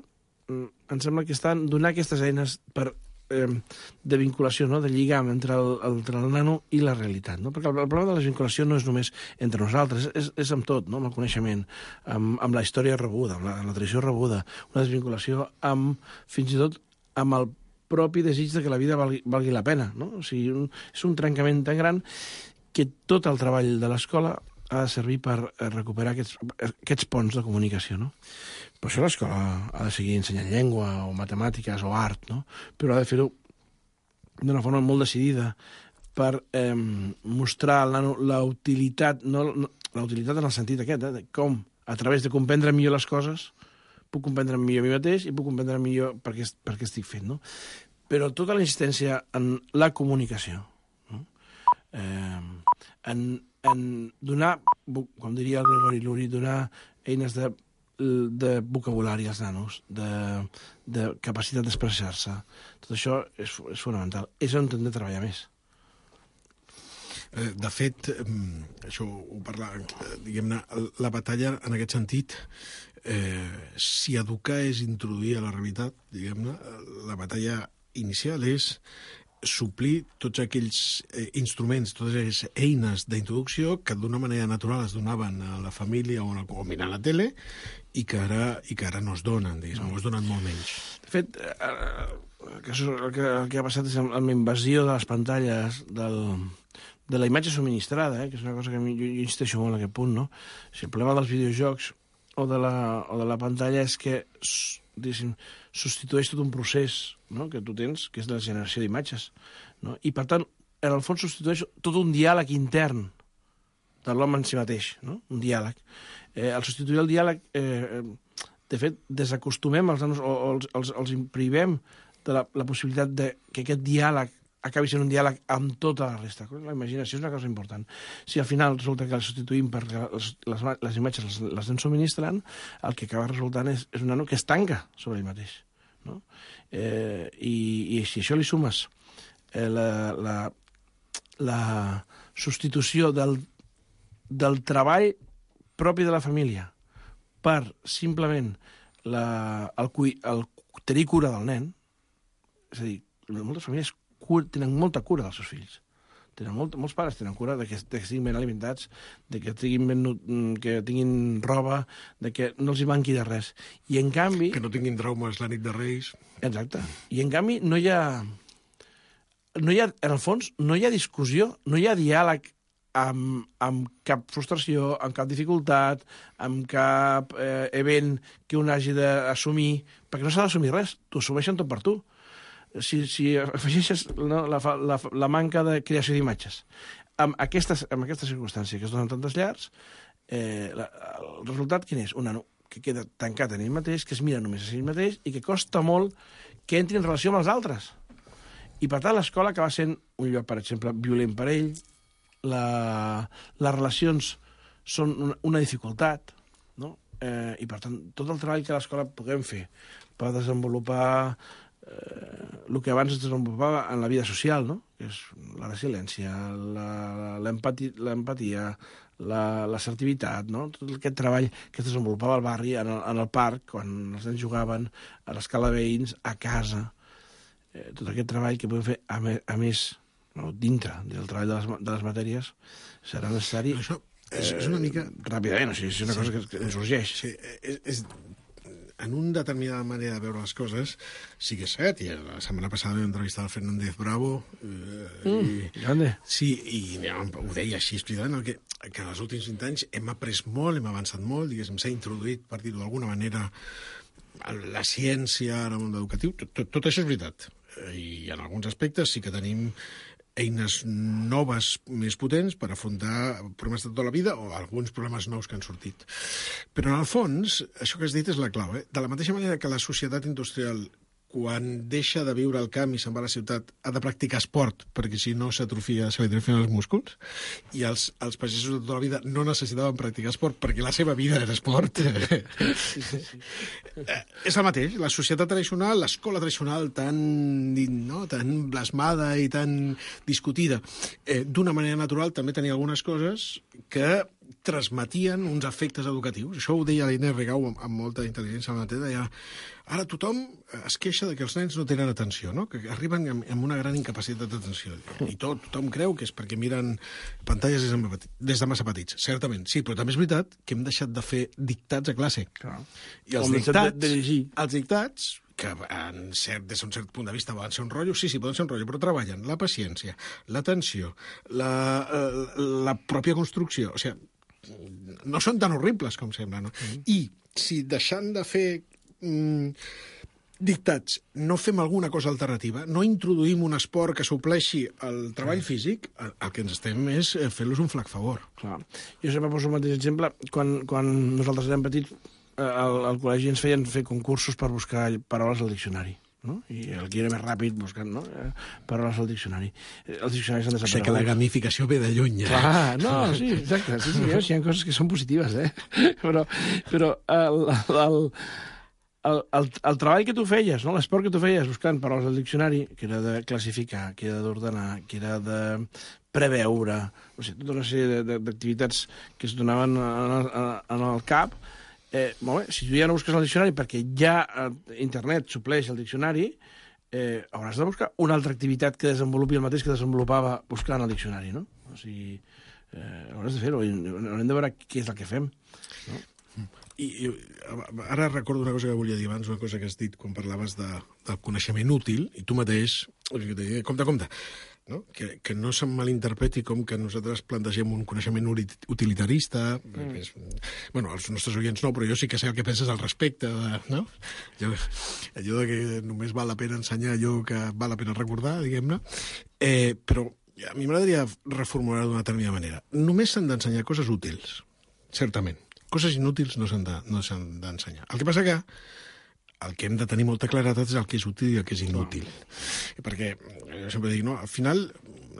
em sembla que estan donar aquestes eines per eh, de vinculació, no? De lligam entre el, entre el nano i la realitat, no? Perquè el, el problema de la vinculació no és només entre nosaltres, és, és amb tot, no? Amb el coneixement, amb, amb la història rebuda, amb la, amb la tradició rebuda, una desvinculació amb, fins i tot, amb el propi desig de que la vida valgui, valgui la pena, no? O sigui, un, és un trencament tan gran que tot el treball de l'escola ha de servir per recuperar aquests, aquests ponts de comunicació, no? Per això l'escola ha de seguir ensenyant llengua o matemàtiques o art, no? Però ha de fer-ho d'una forma molt decidida per eh, mostrar al nano la utilitat, no, no, la utilitat en el sentit aquest, eh, de com a través de comprendre millor les coses, puc comprendre millor a mi mateix i puc comprendre millor per què, per què estic fent, no? Però tota la insistència en la comunicació, no? eh, en, en donar, com diria el Gregori Luri, donar eines de, de vocabulari als nanos, de, de capacitat d'expressar-se. Tot això és, és fonamental. És on hem de treballar més. De fet, això ho parla, diguem-ne, la batalla en aquest sentit, eh, si educar és introduir a la realitat, diguem-ne, la batalla inicial és suplir tots aquells eh, instruments, totes aquelles eines d'introducció que d'una manera natural es donaven a la família o, o mirant la tele i que ara, i que ara no es donen, diguem, no. o es donen molt menys. De fet, eh, el, que, el, que, el que ha passat és amb la invasió de les pantalles del, de la imatge subministrada, eh, que és una cosa que jo, jo insisteixo molt en aquest punt, no? Si el problema dels videojocs o de la, o de la pantalla és que substitueix tot un procés, no?, que tu tens, que és la generació d'imatges. No? I, per tant, en el fons substitueix tot un diàleg intern de l'home en si mateix, no? Un diàleg. Eh, al substituir el diàleg, eh, de fet, desacostumem els nanos o, o els, els, els imprimem de la, la possibilitat de que aquest diàleg acabi sent un diàleg amb tota la resta. La imaginació és una cosa important. Si al final resulta que el substituïm perquè les, les, les imatges les, les anem subministrant, el que acaba resultant és, és un nano que es tanca sobre ell mateix. No? Eh, i, I si això li sumes eh, la, la, la substitució del, del treball propi de la família per simplement la, el, el tenir cura del nen, és a dir, moltes famílies tenen molta cura dels seus fills. Tenen molt, molts pares tenen cura de que, de que estiguin ben alimentats, de que tinguin, ben, que tinguin roba, de que no els hi manqui de res. I en canvi... Que no tinguin traumes la nit de Reis. Exacte. I en canvi no hi ha... No hi ha, en el fons, no hi ha discussió, no hi ha diàleg amb, amb cap frustració, amb cap dificultat, amb cap eh, event que un hagi d'assumir, perquè no s'ha d'assumir res, t'ho assumeixen tot per tu. Si, si afegeixes no, la, la, la manca de creació d'imatges amb, aquestes, amb aquesta circumstància que es donen tantes llars, eh, la, el resultat quin és? Un nano que queda tancat en ell mateix, que es mira només a ell mateix i que costa molt que entri en relació amb els altres. I per tant l'escola acaba sent un lloc, per exemple, violent per ell, la, les relacions són una, una dificultat, no? eh, i per tant tot el treball que a l'escola puguem fer per desenvolupar Eh, el que abans es desenvolupava en la vida social, no? Que és la resiliència, l'empatia, l'assertivitat, no? Tot aquest treball que es desenvolupava al barri, en el, en el parc, quan els nens jugaven, a l'escala veïns, a casa. Eh, tot aquest treball que podem fer a, me, a més, no? dintre del treball de les, de les matèries, serà necessari... Això és, és una mica... Ràpidament, o sigui, és una sí, cosa que, que ens urgeix. Sí, és... és... En una determinada manera de veure les coses, sí que és cert, i la setmana passada vam entrevistar el Fernández Bravo, eh, mm, i, grande. Sí, i ja, ho deia així, explicant que, que en els últims vint anys hem après molt, hem avançat molt, diguéssim, s'ha introduït, per dir-ho d'alguna manera, la ciència en el món educatiu, tot, tot, tot això és veritat. I en alguns aspectes sí que tenim eines noves més potents per afrontar problemes de tota la vida o alguns problemes nous que han sortit. Però, en el fons, això que has dit és la clau. Eh? De la mateixa manera que la societat industrial, quan deixa de viure al camp i se'n va a la ciutat, ha de practicar esport, perquè si no s'atrofia, se li atrofien els músculs, i els, els pagesos de tota la vida no necessitaven practicar esport perquè la seva vida era esport. Sí, sí, sí. Eh, és el mateix. La societat tradicional, l'escola tradicional tan, no, tan blasmada i tan discutida, eh, d'una manera natural també tenia algunes coses que transmetien uns efectes educatius. Això ho deia l'Inés Rigau amb, amb molta intel·ligència al matí, deia, ara tothom es queixa de que els nens no tenen atenció, no? Que arriben amb, amb una gran incapacitat d'atenció. I tot, tothom creu que és perquè miren pantalles des de, des de massa petits. Certament, sí, però també és veritat que hem deixat de fer dictats a classe. Clar. I els Com dictats, de, de llegir. els dictats, que en cert, des d'un cert punt de vista poden ser un rotllo, sí, sí, poden ser un rotllo, però treballen la paciència, l'atenció, la, la, la pròpia construcció, o sigui, no són tan horribles com sembla, no? Mm. I si deixant de fer mm, dictats, no fem alguna cosa alternativa, no introduïm un esport que supleixi el treball físic, el, el que ens estem és fent-los un flac favor. Clar. Jo sempre poso el mateix exemple. Quan, quan nosaltres érem petits, al, al col·legi ens feien fer concursos per buscar paraules al diccionari. No? I el que era més ràpid buscant, no? Paraules al diccionari. Els diccionaris han desaparegut. O sigui que la gamificació ve de lluny, eh? Clar, no, sí, exacte. Sí, sí, hi ha coses que són positives, eh? Però, però el, el, el, el, el treball que tu feies, no? L'esport que tu feies buscant paraules al diccionari, que era de classificar, que era d'ordenar, que era de preveure, o sigui, tota una sèrie d'activitats que es donaven en el, en el cap. Eh, molt bé, si tu ja no busques el diccionari perquè ja internet supleix el diccionari, eh, hauràs de buscar una altra activitat que desenvolupi el mateix que desenvolupava buscant el diccionari, no? O sigui, eh, hauràs de fer-ho, haurem de veure què és el que fem, no? I, i ara recordo una cosa que volia dir abans, una cosa que has dit quan parlaves de, del coneixement útil, i tu mateix, compte, compte, no? Que, que no se'm malinterpreti com que nosaltres plantegem un coneixement utilitarista. Mm. És, bueno, els nostres oients no, però jo sí que sé el que penses al respecte. De, no? Jo, allò de que només val la pena ensenyar allò que val la pena recordar, diguem-ne. Eh, però a mi m'agradaria reformular d'una determinada manera. Només s'han d'ensenyar coses útils, certament. Coses inútils no s'han de, no s'han d'ensenyar. El que passa que el que hem de tenir molta claretat és el que és útil i el que és inútil. No. Perquè, jo sempre dic, no, al final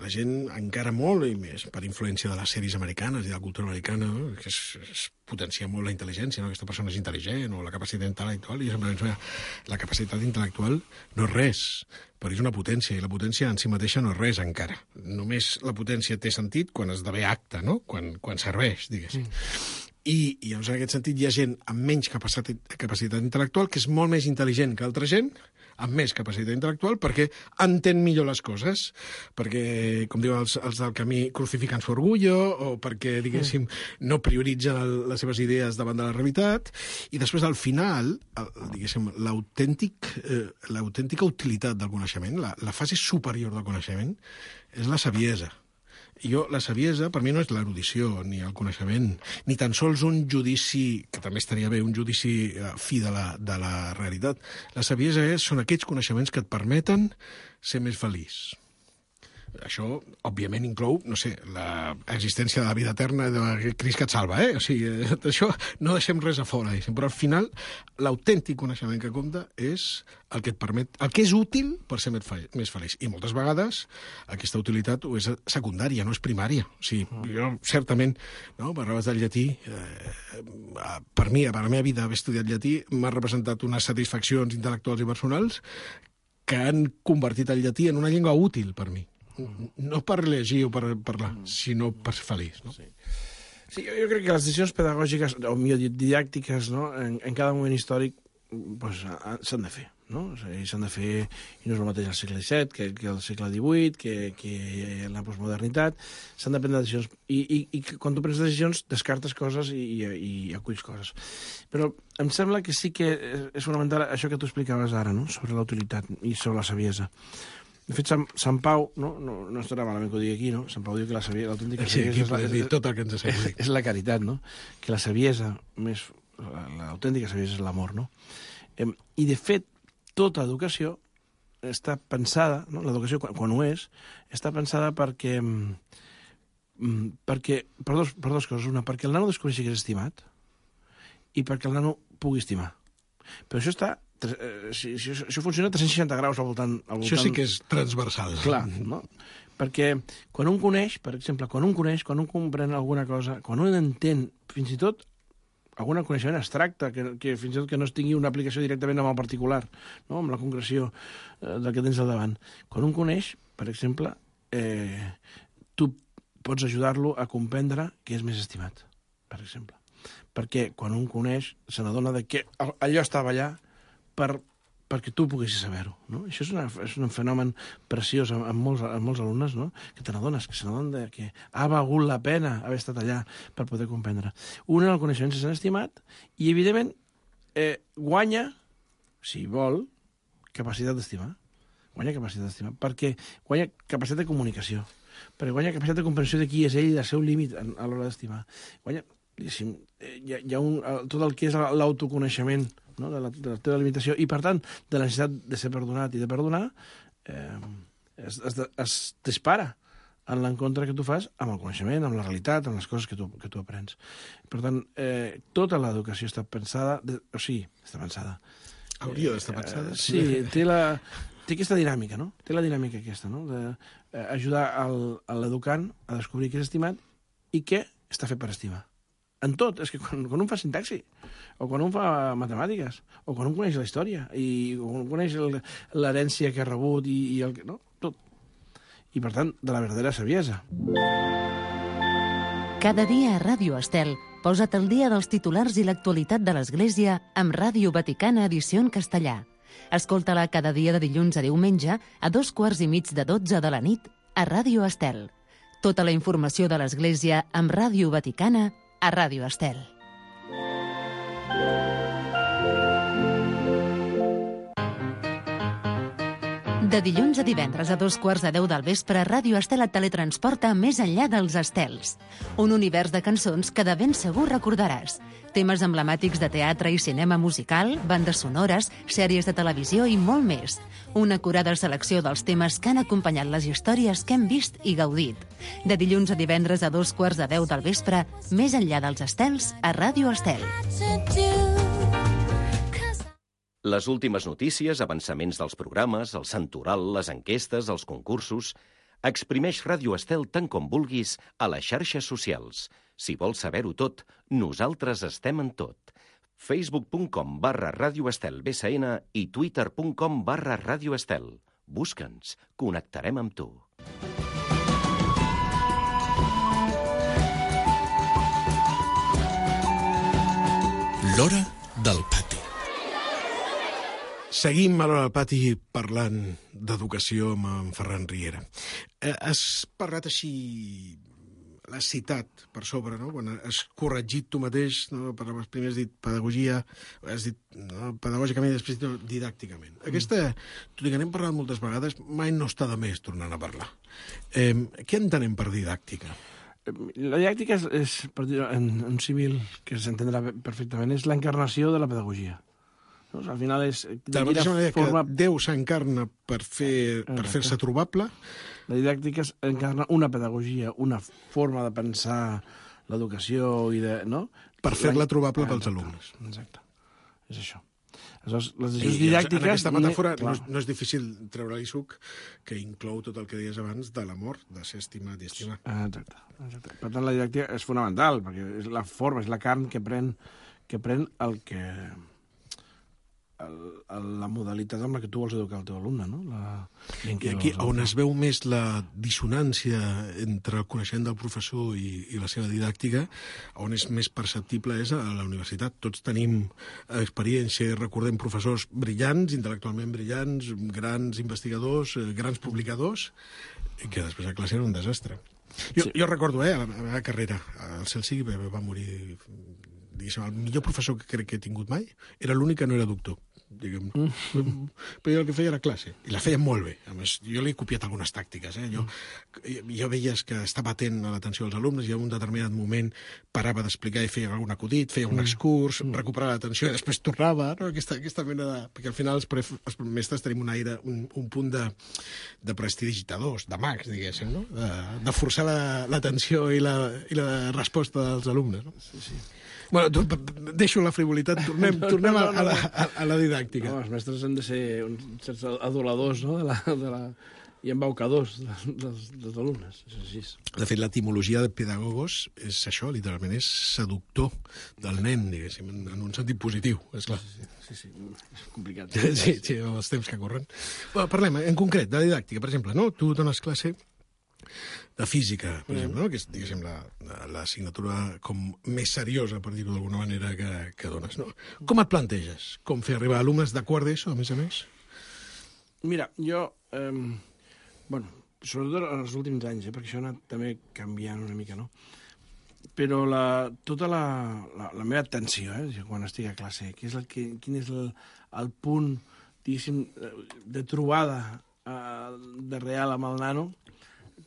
la gent encara molt, i més per influència de les sèries americanes i de la cultura americana, no? Que es, es potencia molt la intel·ligència, no? Aquesta persona és intel·ligent, o la capacitat intel·lectual, i jo sempre penso, la capacitat intel·lectual no és res, però és una potència, i la potència en si mateixa no és res encara. Només la potència té sentit quan esdevé acte, no? Quan, quan serveix, diguéssim. Mm. I, i llavors, en aquest sentit, hi ha gent amb menys capacitat, capacitat intel·lectual que és molt més intel·ligent que altra gent amb més capacitat intel·lectual perquè entén millor les coses, perquè, com diuen els, els del camí, crucifiquen su orgullo, o perquè, diguéssim, no prioritzen el, les seves idees davant de la realitat, i després, al final, el, diguéssim, l'autèntic, eh, l'autèntica utilitat del coneixement, la, la fase superior del coneixement, és la saviesa. I jo, la saviesa, per mi no és l'erudició, ni el coneixement, ni tan sols un judici, que també estaria bé, un judici fi de la, de la realitat. La saviesa és, són aquells coneixements que et permeten ser més feliç. Això, òbviament, inclou, no sé, l'existència de la vida eterna de Crist que et salva, eh? O sigui, això no deixem res a fora, diguéssim. Però al final, l'autèntic coneixement que compta és el que et permet, el que és útil per ser més feliç. I moltes vegades aquesta utilitat és secundària, no és primària. O sigui, jo, certament, no, parlaves del llatí, eh, per mi, per la meva vida, haver estudiat llatí m'ha representat unes satisfaccions intel·lectuals i personals que han convertit el llatí en una llengua útil per mi. No per llegir o per parlar, sinó per ser feliç. No? Sí. Sí, jo, jo crec que les decisions pedagògiques, o millor dit, didàctiques, no? en, en cada moment històric pues, s'han de fer. No? O sigui, s'han de fer, i no és el mateix al segle disset que, que al segle divuit, que, que en la postmodernitat. S'han de prendre decisions. I, i, i quan tu prens decisions, descartes coses i, i, i aculls coses. Però em sembla que sí que és fonamental això que tu explicaves ara, no? Sobre la utilitat i sobre la saviesa. De fet, Sant, Sant Pau, no, no, no estarà malament que ho digui aquí, no? Sant Pau diu que la saviesa, l'autèntica sí, saviesa és, la, dir tot el que ens és, és la caritat, no? Que la saviesa, més, l'autèntica saviesa és l'amor, no? Eh, I, de fet, tota educació està pensada, no? L'educació, quan, quan ho és, està pensada perquè, perquè per, dos, per dos coses. Una, perquè el nano descobreixi que és estimat i perquè el nano pugui estimar. Però això està... Eh, si, si, això funciona a tres-cents seixanta graus al voltant, al voltant... Això sí que és transversal. Clar, no? Perquè quan un coneix, per exemple, quan un coneix, quan un comprèn alguna cosa, quan un entén, fins i tot, algun coneixement abstracte, que, que fins i tot que no es tingui una aplicació directament amb el particular, no? Amb la concreció eh, del que tens al davant. Quan un coneix, per exemple, eh, tu pots ajudar-lo a comprendre que és més estimat, per exemple. Perquè quan un coneix, se n'adona de que allò estava allà per, perquè tu poguessis saber-ho. No? Això és, una, és un fenomen preciós en, en, molts, en molts alumnes, no? Que te n'adones, que se n'adonen de que ha valgut la pena haver estat allà per poder comprendre. Un en el coneixement se s'ha estimat i, evidentment, eh, guanya, si vol, capacitat d'estimar. Guanya capacitat d'estimar, perquè guanya capacitat de comunicació, perquè guanya capacitat de comprensió de qui és ell i del seu límit a l'hora d'estimar. Guanya, diguéssim, hi ha, hi ha un, tot el que és l'autoconeixement no? de, la, de la teva limitació, i per tant, de la necessitat de ser perdonat i de perdonar, eh, es, es, es dispara en l'encontre que tu fas amb el coneixement, amb la realitat, amb les coses que tu, que tu aprens. Per tant, eh, tota l'educació està pensada, de, o sigui, està pensada. Hauria d'estar pensada. Eh, sí, té, la, té aquesta dinàmica, no? Té la dinàmica aquesta, no? D'ajudar eh, l'educant a descobrir què és estimat i què està fet per estimar. En tot. És que quan, quan un fa sintaxi, o quan un fa matemàtiques, o quan un coneix la història, i o quan un coneix l'herència que ha rebut, i, i el que... No? Tot. I, per tant, de la verdadera saviesa. Cada dia a Ràdio Estel, posa't al dia dels titulars i l'actualitat de l'Església amb Ràdio Vaticana Edició en castellà. Escolta-la cada dia de dilluns a diumenge a dos quarts i mig de dotze de la nit a Ràdio Estel. Tota la informació de l'Església amb Ràdio Vaticana a Ràdio Estel. De dilluns a divendres a dos quarts de deu del vespre, Ràdio Estel et teletransporta més enllà dels estels. Un univers de cançons que de ben segur recordaràs. Temes emblemàtics de teatre i cinema musical, bandes sonores, sèries de televisió i molt més. Una acurada selecció dels temes que han acompanyat les històries que hem vist i gaudit. De dilluns a divendres a dos quarts de deu del vespre, més enllà dels estels, a Ràdio Estel. Les últimes notícies, avançaments dels programes, el santoral, les enquestes, els concursos... Exprimeix Ràdio Estel tant com vulguis a les xarxes socials. Si vols saber-ho tot, nosaltres estem en tot. facebook.com barra Ràdio Estel B S N i twitter.com barra Ràdio Estel. Busca'ns, connectarem amb tu. L'hora del pati. Seguim a l'hora del pati parlant d'educació amb en Ferran Riera. Eh, has parlat així, l'has citat per sobre, no? Quan has corregit tu mateix, no? Primer has dit pedagogia, has dit no? pedagògicament i després didàcticament. Mm. Aquesta, tot i que n'hem parlat moltes vegades, mai no està de més tornant a parlar. Eh, què entenem per didàctica? La didàctica és, és per dir, en un símil que s'entendrà perfectament, és l'encarnació de la pedagogia. No? Al final és... De la mateixa manera forma... que Déu s'encarna per, fer, per fer-se trobable. La didàctica encarna una pedagogia, una forma de pensar l'educació i de... No? Per fer-la trobable pels alumnes. Exacte. És això. Aleshores, les decisions didàctiques... En aquesta metàfora no, no és difícil treure-li suc, que inclou tot el que deies abans de l'amor, de ser estimat i estimar. Exacte. Exacte. Per tant, la didàctica és fonamental, perquè és la forma, és la carn que pren, que pren el que... El, el, la modalitat amb la que tu vols educar el teu alumne, no? La, I aquí, on es veu més la dissonància entre el coneixement del professor i, i la seva didàctica, on és més perceptible és a la universitat. Tots tenim experiència i recordem professors brillants, intel·lectualment brillants, grans investigadors, grans publicadors, que després a classe era un desastre. Jo, sí. jo recordo, eh, a la meva carrera, al Celsi va morir... Diguéssim, el millor professor que crec que he tingut mai era l'únic que no era doctor. Diguem. Mm. Però jo el que feia era classe, i la feia molt bé. A més, jo li he copiat algunes tàctiques. Eh? Jo, jo veies que estava atent a l'atenció dels alumnes i en un determinat moment parava d'explicar i feia algun acudit, feia un excurs, mm. recuperava l'atenció i després tornava. No? Aquesta, aquesta mena de... Perquè al final els, pref... els mestres tenim un aire, un, un punt de, de prestidigitadors, de mags, diguéssim, no? de, de forçar l'atenció la, i, la, i la resposta dels alumnes. No? Sí, sí. Bueno, tu, deixo la frivolitat, tornem, tornem a, a, la, a, a la didàctica. No, els mestres han de ser uns certs aduladors, no?, de la, de la, i embaucadors dels, dels alumnes. És així. De fet, l'etimologia de pedagogos és això, literalment, és seductor del nen, diguéssim, en un sentit positiu, és clar. Sí, sí, sí, sí. És complicat. Sí, sí, els temps que corren. Bueno, parlem, en concret, de didàctica, per exemple, no? Tu dones classe de física, per mm. exemple, no? Que és, diguéssim, l'assignatura la, com més seriosa, per dir-ho d'alguna manera, que, que dones, no? Com et planteges? Com fer arribar alumnes de quart d'ESO, a més a més? Mira, jo... Eh, bueno, sobretot en els últims anys, eh, perquè això ha anat també canviant una mica, no? Però la, tota la, la, la meva atenció, eh, quan estic a classe, que és el que, quin és el, el punt, diguéssim, de trobada eh, de real amb el nano,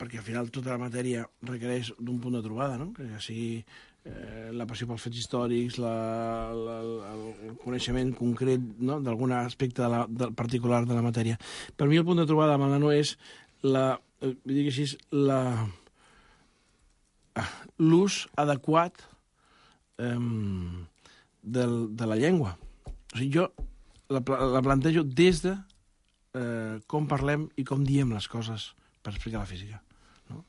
perquè al final tota la matèria requereix d'un punt de trobada, no? Que ja sigui eh, la passió pels fets històrics, la, la, el coneixement concret, no?, d'algun aspecte de la, de, particular de la matèria. Per mi el punt de trobada amb la nano és la, eh, dic així, la, l'ús adequat eh, del, de la llengua. O sigui, jo la, la plantejo des de eh, com parlem i com diem les coses per explicar la física. No?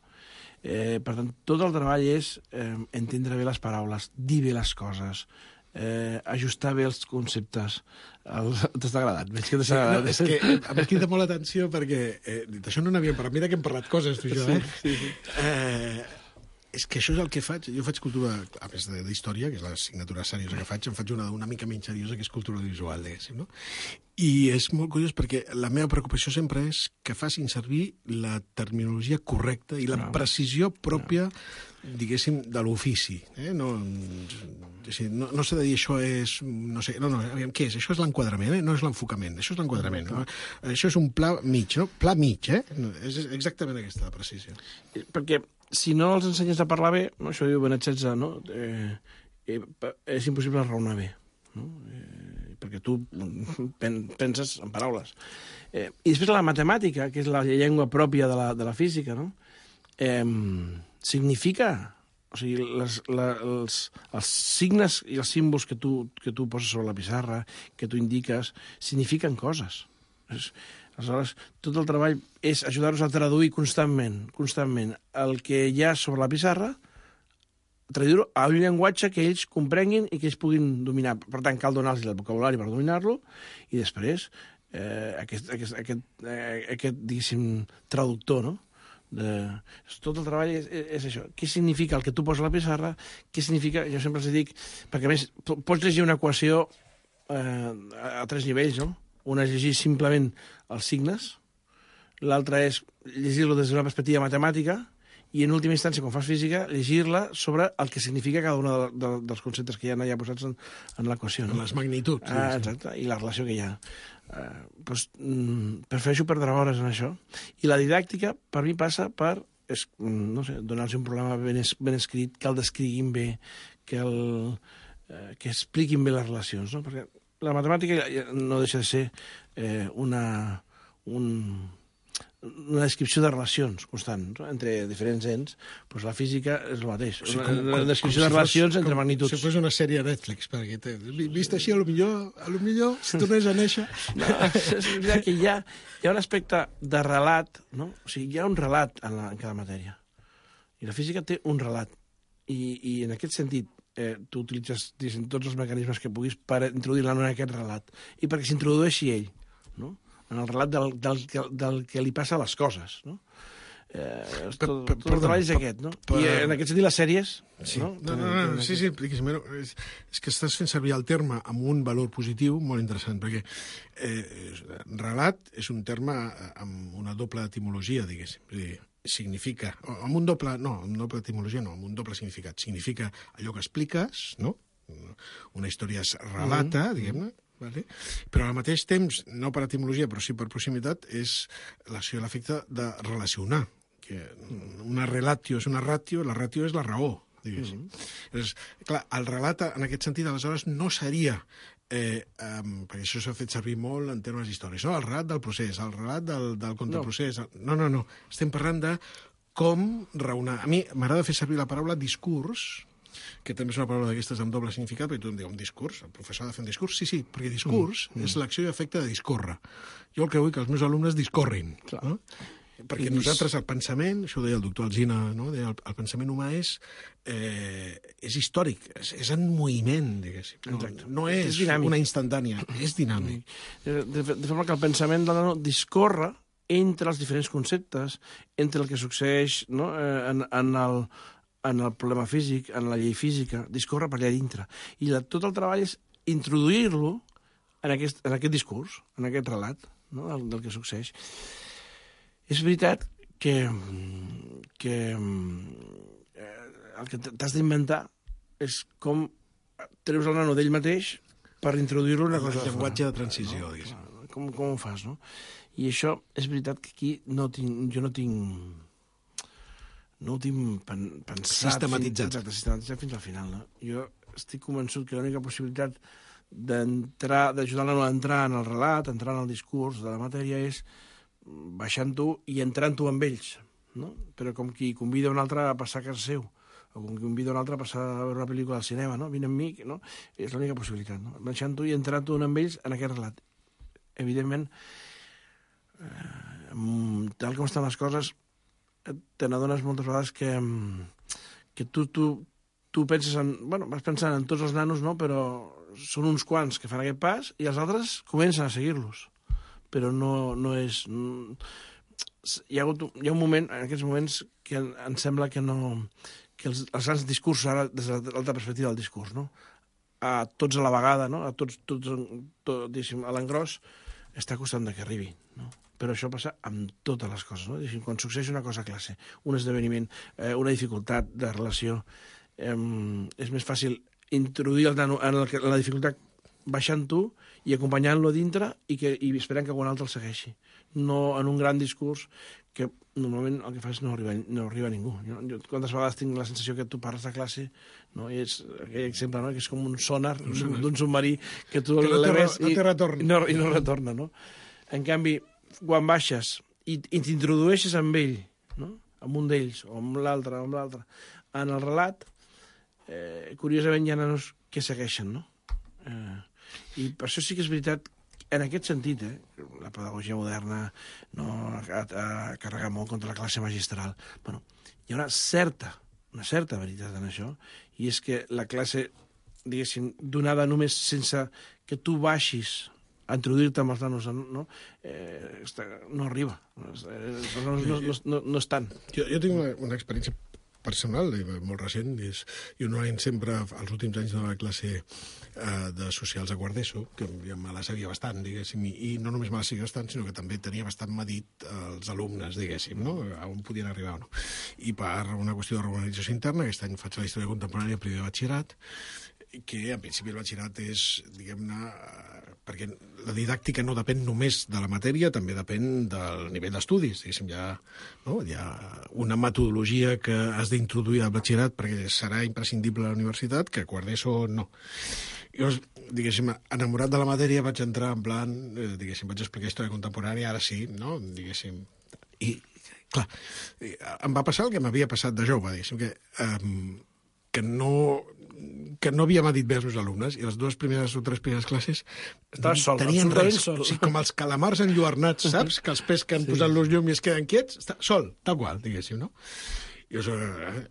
Eh, per tant, tot el treball és eh, entendre bé les paraules, dir bé les coses, eh, ajustar bé els conceptes. El... T'està agradat? Veig que t'està agradat. No, és que em crida molt l'atenció perquè eh, d'això no n'havíem parlat. Mira que hem parlat coses, tu i jo, eh? Sí, sí, sí. Eh, és que això és el que faig. Jo faig cultura, a més d'història, que és l'assignatura seriosa que faig, em faig una una mica menys seriosa, que és cultura visual, diguéssim, no? I és molt curiós perquè la meva preocupació sempre és que facin servir la terminologia correcta i la no. precisió pròpia, no. diguéssim, de l'ofici. Eh? No, no, no s'ha de dir això és... No sé, no, no, aviam, què és? Això és l'enquadrament, eh? No és l'enfocament, això és l'enquadrament. No? Això és un pla mig, no? Pla mig, eh? No, és exactament aquesta la precisió. Perquè si no els ensenyes a parlar bé, no, això diu Benet setze, no? Eh, eh, és impossible raonar bé, no? Eh, perquè tu pen, penses en paraules. Eh, I després la matemàtica, que és la llengua pròpia de la, de la física, no? Eh, significa... O sigui, les, la, els, els signes i els símbols que tu, que tu poses sobre la pissarra, que tu indiques, signifiquen coses. És, aleshores, tot el treball és ajudar-los a traduir constantment, constantment el que hi ha sobre la pissarra, traduir-ho a un llenguatge que ells comprenguin i que ells puguin dominar. Per tant, cal donar-los el vocabulari per dominar-lo i després eh, aquest, aquest, aquest, eh, aquest, diguéssim, traductor, no? De... Tot el treball és, és això. Què significa el que tu poses a la pissarra? Què significa... Jo sempre els dic... Perquè, a més, pots llegir una equació eh, a tres nivells, no? Una és llegir simplement els signes, l'altra és llegir-lo des d'una perspectiva matemàtica i, en última instància, quan fas física, llegir-la sobre el que significa cada un de, de, dels conceptes que hi ha allà posats en, en l'equació. No? Les magnituds. Ah, exacte, i la relació que hi ha. Uh, doncs, mm, prefereixo perdre hores en això. I la didàctica, per mi, passa per es, no sé, donar-los un programa ben, es, ben escrit, que el descriguin bé, que, el, uh, que expliquin bé les relacions, no? Perquè la matemàtica no deixa de ser eh, una, un, una descripció de relacions constant, no? Entre diferents ens. Doncs la física és el mateix. O sigui, com, una, una descripció com, com de relacions si fos, entre com, magnituds. Si fos una sèrie de Netflix, perquè te, vist així, a lo millor, a lo millor si tornés a néixer... No, és veritat que hi ha, hi ha un aspecte de relat, no? O sigui, hi ha un relat en, la, en cada matèria. I la física té un relat. I, i en aquest sentit, eh, tu utilitzes diguem, tots els mecanismes que puguis per introduir-la en aquest relat i perquè s'introdueixi ell, no? En el relat del, del, del que li passa a les coses, no? Eh, tot, tot el treball és aquest, no? Per... I en aquest sentit les sèries... Sí, no? No, no, no, no, sí, sí, és, és que estàs fent servir el terme amb un valor positiu molt interessant, perquè eh, relat és un terme amb una doble etimologia, diguéssim. És a dir, significa, amb un doble, no, amb una doble etimologia no, amb un doble significat. Significa allò que expliques, no? Una història es relata, mm-hmm. diguem-ne, vale? Però al mateix temps, no per etimologia, però sí per proximitat, és l'acció i l'efecte de relacionar. Que una relatio és una ratio, la ratio és la raó, diguéssim. Mm-hmm. És, clar, el relat, en aquest sentit, aleshores, no seria... Eh, um, perquè això s'ha fet servir molt en termes històrics, no? El relat del procés, el relat del, del contraprocés... No. no, no, no. Estem parlant de com raonar. A mi m'agrada fer servir la paraula discurs, que també és una paraula d'aquestes amb doble significat, perquè tothom diu un discurs, el professor ha de fer un discurs. Sí, sí, perquè discurs mm. és l'acció i efecte de discórrer. Jo el que vull que els meus alumnes discorrin, no? Perquè nosaltres el pensament, això ho deia el doctor Alsina, no? Deia, el, el pensament humà és, eh, és històric, és, és en moviment, diguéssim. No, no és, és una instantània, és dinàmic. De, de, de forma que el pensament de la discorre entre els diferents conceptes, entre el que succeeix, no? eh, en, en, el, en el problema físic, en la llei física, discorre per allà dintre. I la, tot el treball és introduir-lo en, aquest, en aquest discurs, en aquest relat, no? del, del que succeeix. És veritat que, que eh, el que t'has d'inventar és com treus el nano d'ell mateix per introduir-lo en una cosa. El llenguatge de transició, no? Diguéssim. Com, com ho fas, no? I això és veritat que aquí no tinc, jo no tinc no ho tinc pen, pensat... Sistematitzat. Fins, exacte, sistematitzat fins al final, no? Jo estic convençut que l'única possibilitat d'entrar, d'ajudar l'alumne a entrar en el relat, a entrar en el discurs de la matèria, és baixant-ho i entrant-ho amb ells, no? Però com qui convida un altre a passar a casa seu, o com qui convida un altre a passar a veure una pel·lícula al cinema, no? Vine amb mi, no? És l'única possibilitat, no? Baixant-ho i entrant-ho amb ells en aquest relat. Evidentment, eh, tal com estan les coses, te n'adones moltes vegades que, que tu, tu, tu penses en... Bueno, vas pensant en tots els nanos, no? Però són uns quants que fan aquest pas i els altres comencen a seguir-los. Però no, no és... Hi ha, hagut, hi ha un moment, en aquests moments, que em sembla que no... que els, els grans discursos, ara, des de l'altra perspectiva del discurs, no? A tots a la vegada, no? A tots, tots tot, diguéssim, a l'engròs, està costant que arribi, no? Però això passa amb totes les coses, no? Diguéssim, quan succeeix una cosa a classe, un esdeveniment, eh, una dificultat de relació, eh, és més fàcil introduir el nano en, el, en la dificultat baixant-ho i acompanyant-lo a dintre i, que, i esperant que algun altre el segueixi. No en un gran discurs que normalment el que fa és no arribar, no arriba a ningú. Jo, jo quantes vegades tinc la sensació que tu parles de classe, no? I és aquell exemple, no? Que és com un sonar d'un submarí que tu que no l'eleves no i, retorn. i, no, i no retorna, no? En canvi, quan baixes i, i t'introdueixes amb ell, no? Amb un d'ells, o amb l'altre, o amb l'altre, en el relat, eh, curiosament hi ha nanos que segueixen, no? Eh, I per això sí que és veritat, en aquest sentit, eh, la pedagogia moderna no ha, ha carregat molt contra la classe magistral. Bueno, hi ha una certa, una certa veritat en això, i és que la classe, diguéssim, donada només sense que tu baixis a introduir-te amb els nanos, no, eh, no arriba. Els nanos no, no, no, no estan. Jo, jo tinc una, una experiència personal, molt recent, és, jo normalment sempre, als últims anys de la classe eh, de socials a quart d'ESO, que ja me la sabia bastant, diguéssim, i, i no només me la sabia bastant, sinó que també tenia bastant medit els alumnes, diguéssim, no? A on podien arribar o no. I per una qüestió de regularització interna, aquest any faig la història contemporània primer de batxillerat, que en principi el batxillerat és, diguem-ne, perquè la didàctica no depèn només de la matèria, també depèn del nivell d'estudis. Diguéssim, hi ha, no? hi ha una metodologia que has d'introduir al batxillerat perquè serà imprescindible a la universitat, que a quart d'ESO no. Llavors, diguéssim, enamorat de la matèria vaig entrar en plan, eh, diguéssim, vaig explicar història contemporània, ara sí, no? Diguéssim, i, clar, em va passar el que m'havia passat de jove, diguéssim, que, um, que no... que no havia medit bé els meus alumnes, i les dues primeres o tres primeres classes sol, tenien res, sol. O sigui, com els calamars enlluernats, saps? Que els pesquen sí. posant los llum i es queden quiets, està sol, tal qual, diguéssim, no? I llavors,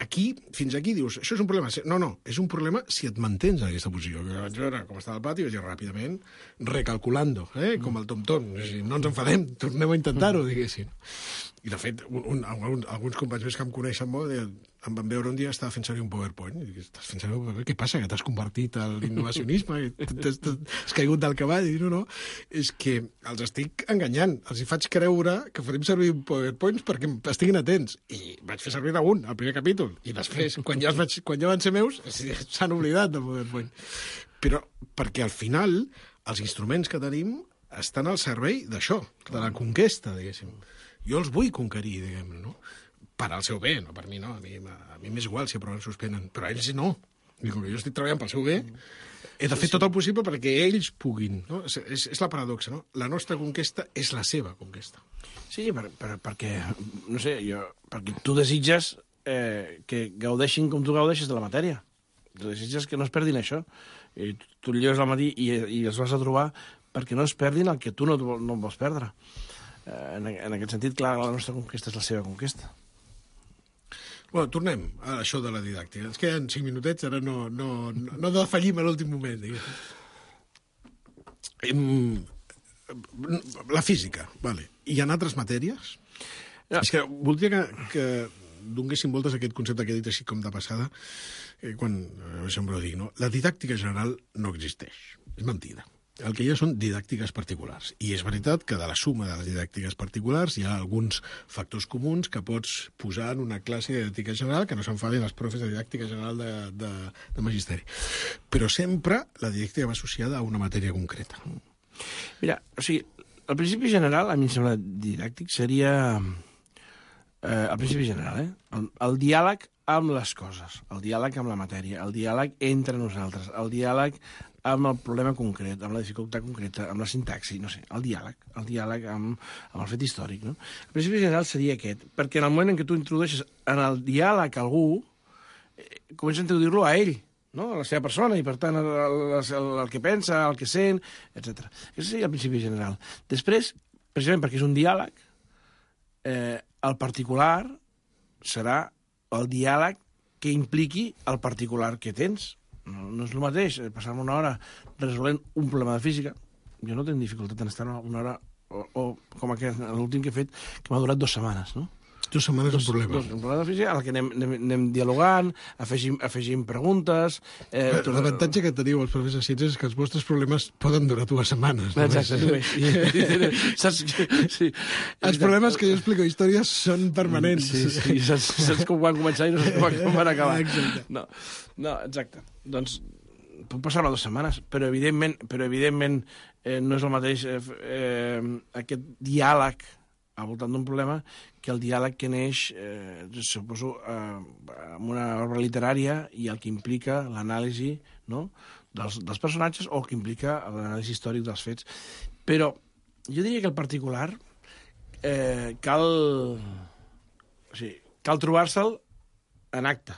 aquí, fins aquí, dius, això és un problema. No, no, és un problema si et mantens en aquesta posició. Jo vaig veure com estava el pati i vaig dir ràpidament, recalculando, eh? Com el tom-tom. No ens enfadem, tornem a intentar-ho, diguéssim. I, de fet, un, un, un, alguns companys més que em coneixen molt em van veure un dia, estava fent servir un PowerPoint, i dic, estàs fent servir un PowerPoint? Què passa, que t'has convertit a l'innovacionisme? Has caigut del cavall? I no, no, és que els estic enganyant. Els hi faig creure que farem servir PowerPoints perquè estiguin atents. I vaig fer servir un, al primer capítol, i després, quan ja, vaig, quan ja van ser meus, s'han oblidat del PowerPoint. Però perquè al final els instruments que tenim estan al servei d'això, de la conquesta, diguéssim. Jo els vull conquerir, diguem-ne, no? Per al seu bé, no per mi, no. A mi, a mi m'és igual si aproven o suspenen, però a ells no. I com que jo estic treballant pel seu bé, he de fer tot el possible perquè ells puguin, no? És, és, és la paradoxa, no? La nostra conquesta és la seva conquesta. Sí, per, per, perquè, no sé, jo, perquè tu desitges eh, que gaudeixin com tu gaudeixes de la matèria. Tu desitges que no es perdin això. I tu, tu lleves al matí i, i els vas a trobar perquè no es perdin el que tu no, no vols perdre. En, en aquest sentit, clar, la nostra conquesta és la seva conquesta. Bueno, tornem a això de la didàctica. Ens queden cinc minutets, ara no, no, no, no defallim a l'últim moment. Diguem. La física, vale. I en altres matèries? Ja. És que voldria que, que donguéssim voltes a aquest concepte que he dit així com de passada, eh, quan, eh, sempre ho dic, no? La didàctica general no existeix. És mentida. El que hi ha són didàctiques particulars. I és veritat que de la suma de les didàctiques particulars hi ha alguns factors comuns que pots posar en una classe de didàctica general, que no s'enfadin els profes de didàctica general de, de, de magisteri. Però sempre la didàctica va associada a una matèria concreta. Mira, o sigui, el principi general, a mi em sembla didàctic, seria eh, al principi general, eh? El, el diàleg amb les coses, el diàleg amb la matèria, el diàleg entre nosaltres, el diàleg amb el problema concret, amb la dificultat concreta, amb la sintaxi, no sé, el diàleg, el diàleg amb, amb el fet històric, no? El principi general seria aquest, perquè en el moment en què tu introdueixes en el diàleg a algú, eh, comença a introduir-lo a ell, no? A la seva persona, i per tant el, el, el, el que pensa, el que sent, etcètera. Aquest seria el principi general. Després, precisament perquè és un diàleg, eh, el particular serà el diàleg que impliqui el particular que tens. No, no és el mateix passar-me una hora resolent un problema de física. Jo no tinc dificultat en estar una hora, o, o com aquest, l'últim que he fet, que m'ha durat dues setmanes, no? Dues setmanes un problema. Dos, un problema de física, en què anem, anem, anem dialogant, afegim, afegim preguntes... Eh, L'avantatge que teniu els professors de ciències és que els vostres problemes poden durar dues setmanes. Exacte, només. Saps? Sí. Els problemes que jo explico històries són permanents. Sí, sí, saps, saps com van començar i no saps com van acabar. Exacte. No, no, exacte. Doncs pot passar dues setmanes, però evidentment, però evidentment eh, no és el mateix eh, eh, aquest diàleg al voltant d'un problema que el diàleg que neix, eh, suposo, eh, amb una obra literària i el que implica l'anàlisi, no?, dels, dels personatges o el que implica l'anàlisi històric dels fets. Però jo diria que el particular eh, cal, o sigui, cal trobar-se'l en acte.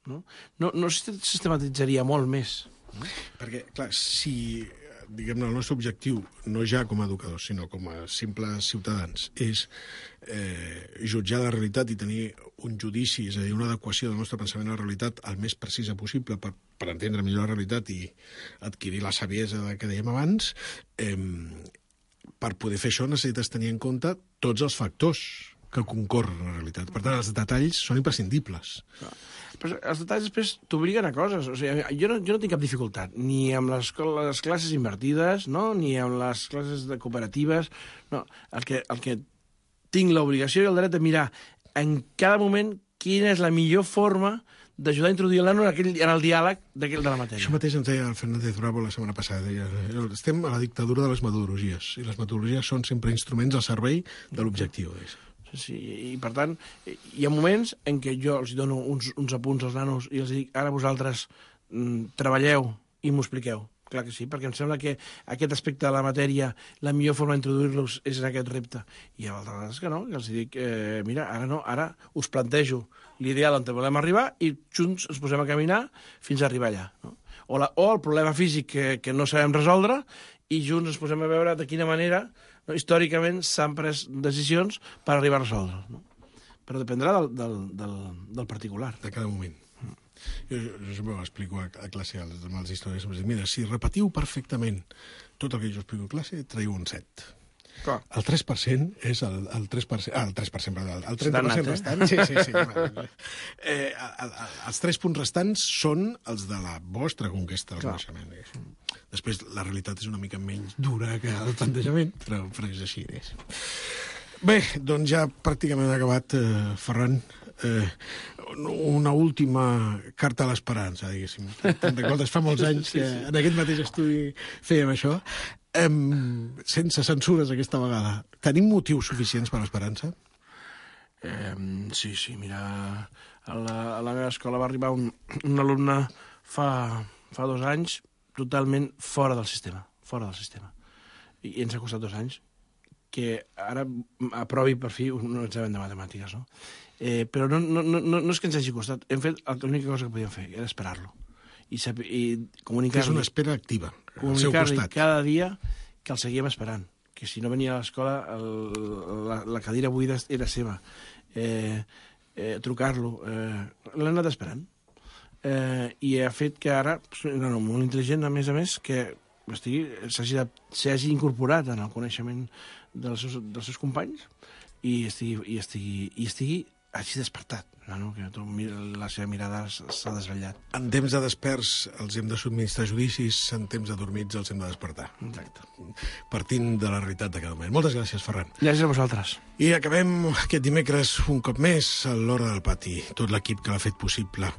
No? No, no sistematitzaria molt més. No? Perquè, clar, si, diguem-ne, el nostre objectiu, no ja com a educadors, sinó com a simples ciutadans, és eh, jutjar la realitat i tenir un judici, és a dir, una adequació del nostre pensament a la realitat el més precisa possible per, per entendre millor la realitat i adquirir la saviesa que dèiem abans, eh, per poder fer això necessites tenir en compte tots els factors que concorren a la realitat. Per tant, els detalls són imprescindibles. Però els detalls després t'obliguen a coses. O sigui, jo, no, jo no tinc cap dificultat, ni amb les, les classes invertides, no? Ni amb les classes de cooperatives. No. El, que, el que tinc l'obligació i el dret de mirar en cada moment quina és la millor forma d'ajudar a introduir el nano en, aquell, en el diàleg de la matèria. Això mateix ens deia el Fernández Bravo la setmana passada. Deia, estem a la dictadura de les metodologies, i les metodologies són sempre instruments al servei de l'objectiu. Sí, i per tant, hi ha moments en què jo els dono uns, uns apunts als nanos i els dic, ara vosaltres mm, treballeu i m'ho expliqueu. Clar que sí, perquè em sembla que aquest aspecte de la matèria, la millor forma d'introduir-los és en aquest repte. I hi ha altres vegades que no, que els dic, eh, mira, ara no, ara us plantejo l'ideal on volem arribar i junts ens posem a caminar fins a arribar allà. No? O, la, o el problema físic que, que no sabem resoldre i junts ens posem a veure de quina manera, no, històricament s'han pres decisions per arribar a resoldre. No? Però dependrà del, del, del, del particular. De cada moment. Jo, jo sempre ho explico a, a classe als, als historiadors. Mira, si repetiu perfectament tot el que jo explico a classe, traieu un set. Clar. El tres per cent és el, el tres per cent... Ah, el tres per cent, perdó, el trenta per cent restant. Sí, sí, sí. eh, el, el, els tres punts restants són els de la vostra conquesta del coneixement. Després, la realitat és una mica menys dura que el plantejament, però, però és així. És. Bé, doncs ja pràcticament ha acabat, eh, Ferran. Eh, una última carta a l'esperança, diguéssim. Te'n recordes, fa molts anys que en aquest mateix estudi fèiem això. Um, sense censures aquesta vegada. Tenim motius suficients per l'esperança? Eh, sí, sí, mira, a la, a la meva escola va arribar un, un alumne fa, fa dos anys totalment fora del sistema, fora del sistema. I ens ha costat dos anys que ara aprovi per fi un examen de matemàtiques, no? Eh, però no, no, no, no és que ens hagi costat. Hem fet l'única cosa que podíem fer, era esperar-lo. I, saber, i comunicar-li... És una espera activa, al seu costat. Cada dia que el seguíem esperant. Que si no venia a l'escola, la, la cadira buida era seva. Eh, eh, trucar-lo. Eh, L'hem anat esperant. Eh, I ha fet que ara, no, no, molt intel·ligent, a més a més, que s'hagi incorporat en el coneixement dels seus, dels seus companys i estigui, i estigui, i estigui hagi despertat. No, no, que tu, la seva mirada s'ha desvetllat. En temps de desperts els hem de subministrar judicis, en temps de dormits els hem de despertar. Exacte. Partint de la realitat de cada moment. Moltes gràcies, Ferran. Gràcies a vosaltres. I acabem aquest dimecres un cop més a l'Hora del Pati, tot l'equip que l'ha fet possible.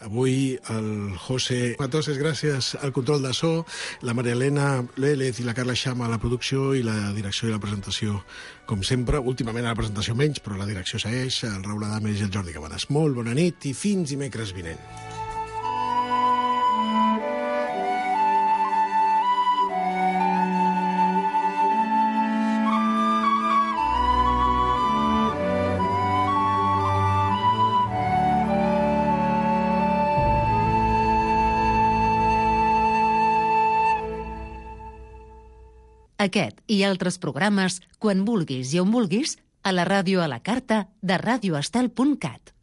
Avui el José Matoses, gràcies al control de so, la Maria Elena Lélez i la Carla Xama a la producció i la direcció i la presentació, com sempre, últimament a la presentació menys, però la direcció segueix, el Raül Adames i el Jordi Cabanes. Molt bona nit i fins dimecres vinent. Aquest i altres programes, quan vulguis i on vulguis, a la ràdio a la carta de radioestel punt cat.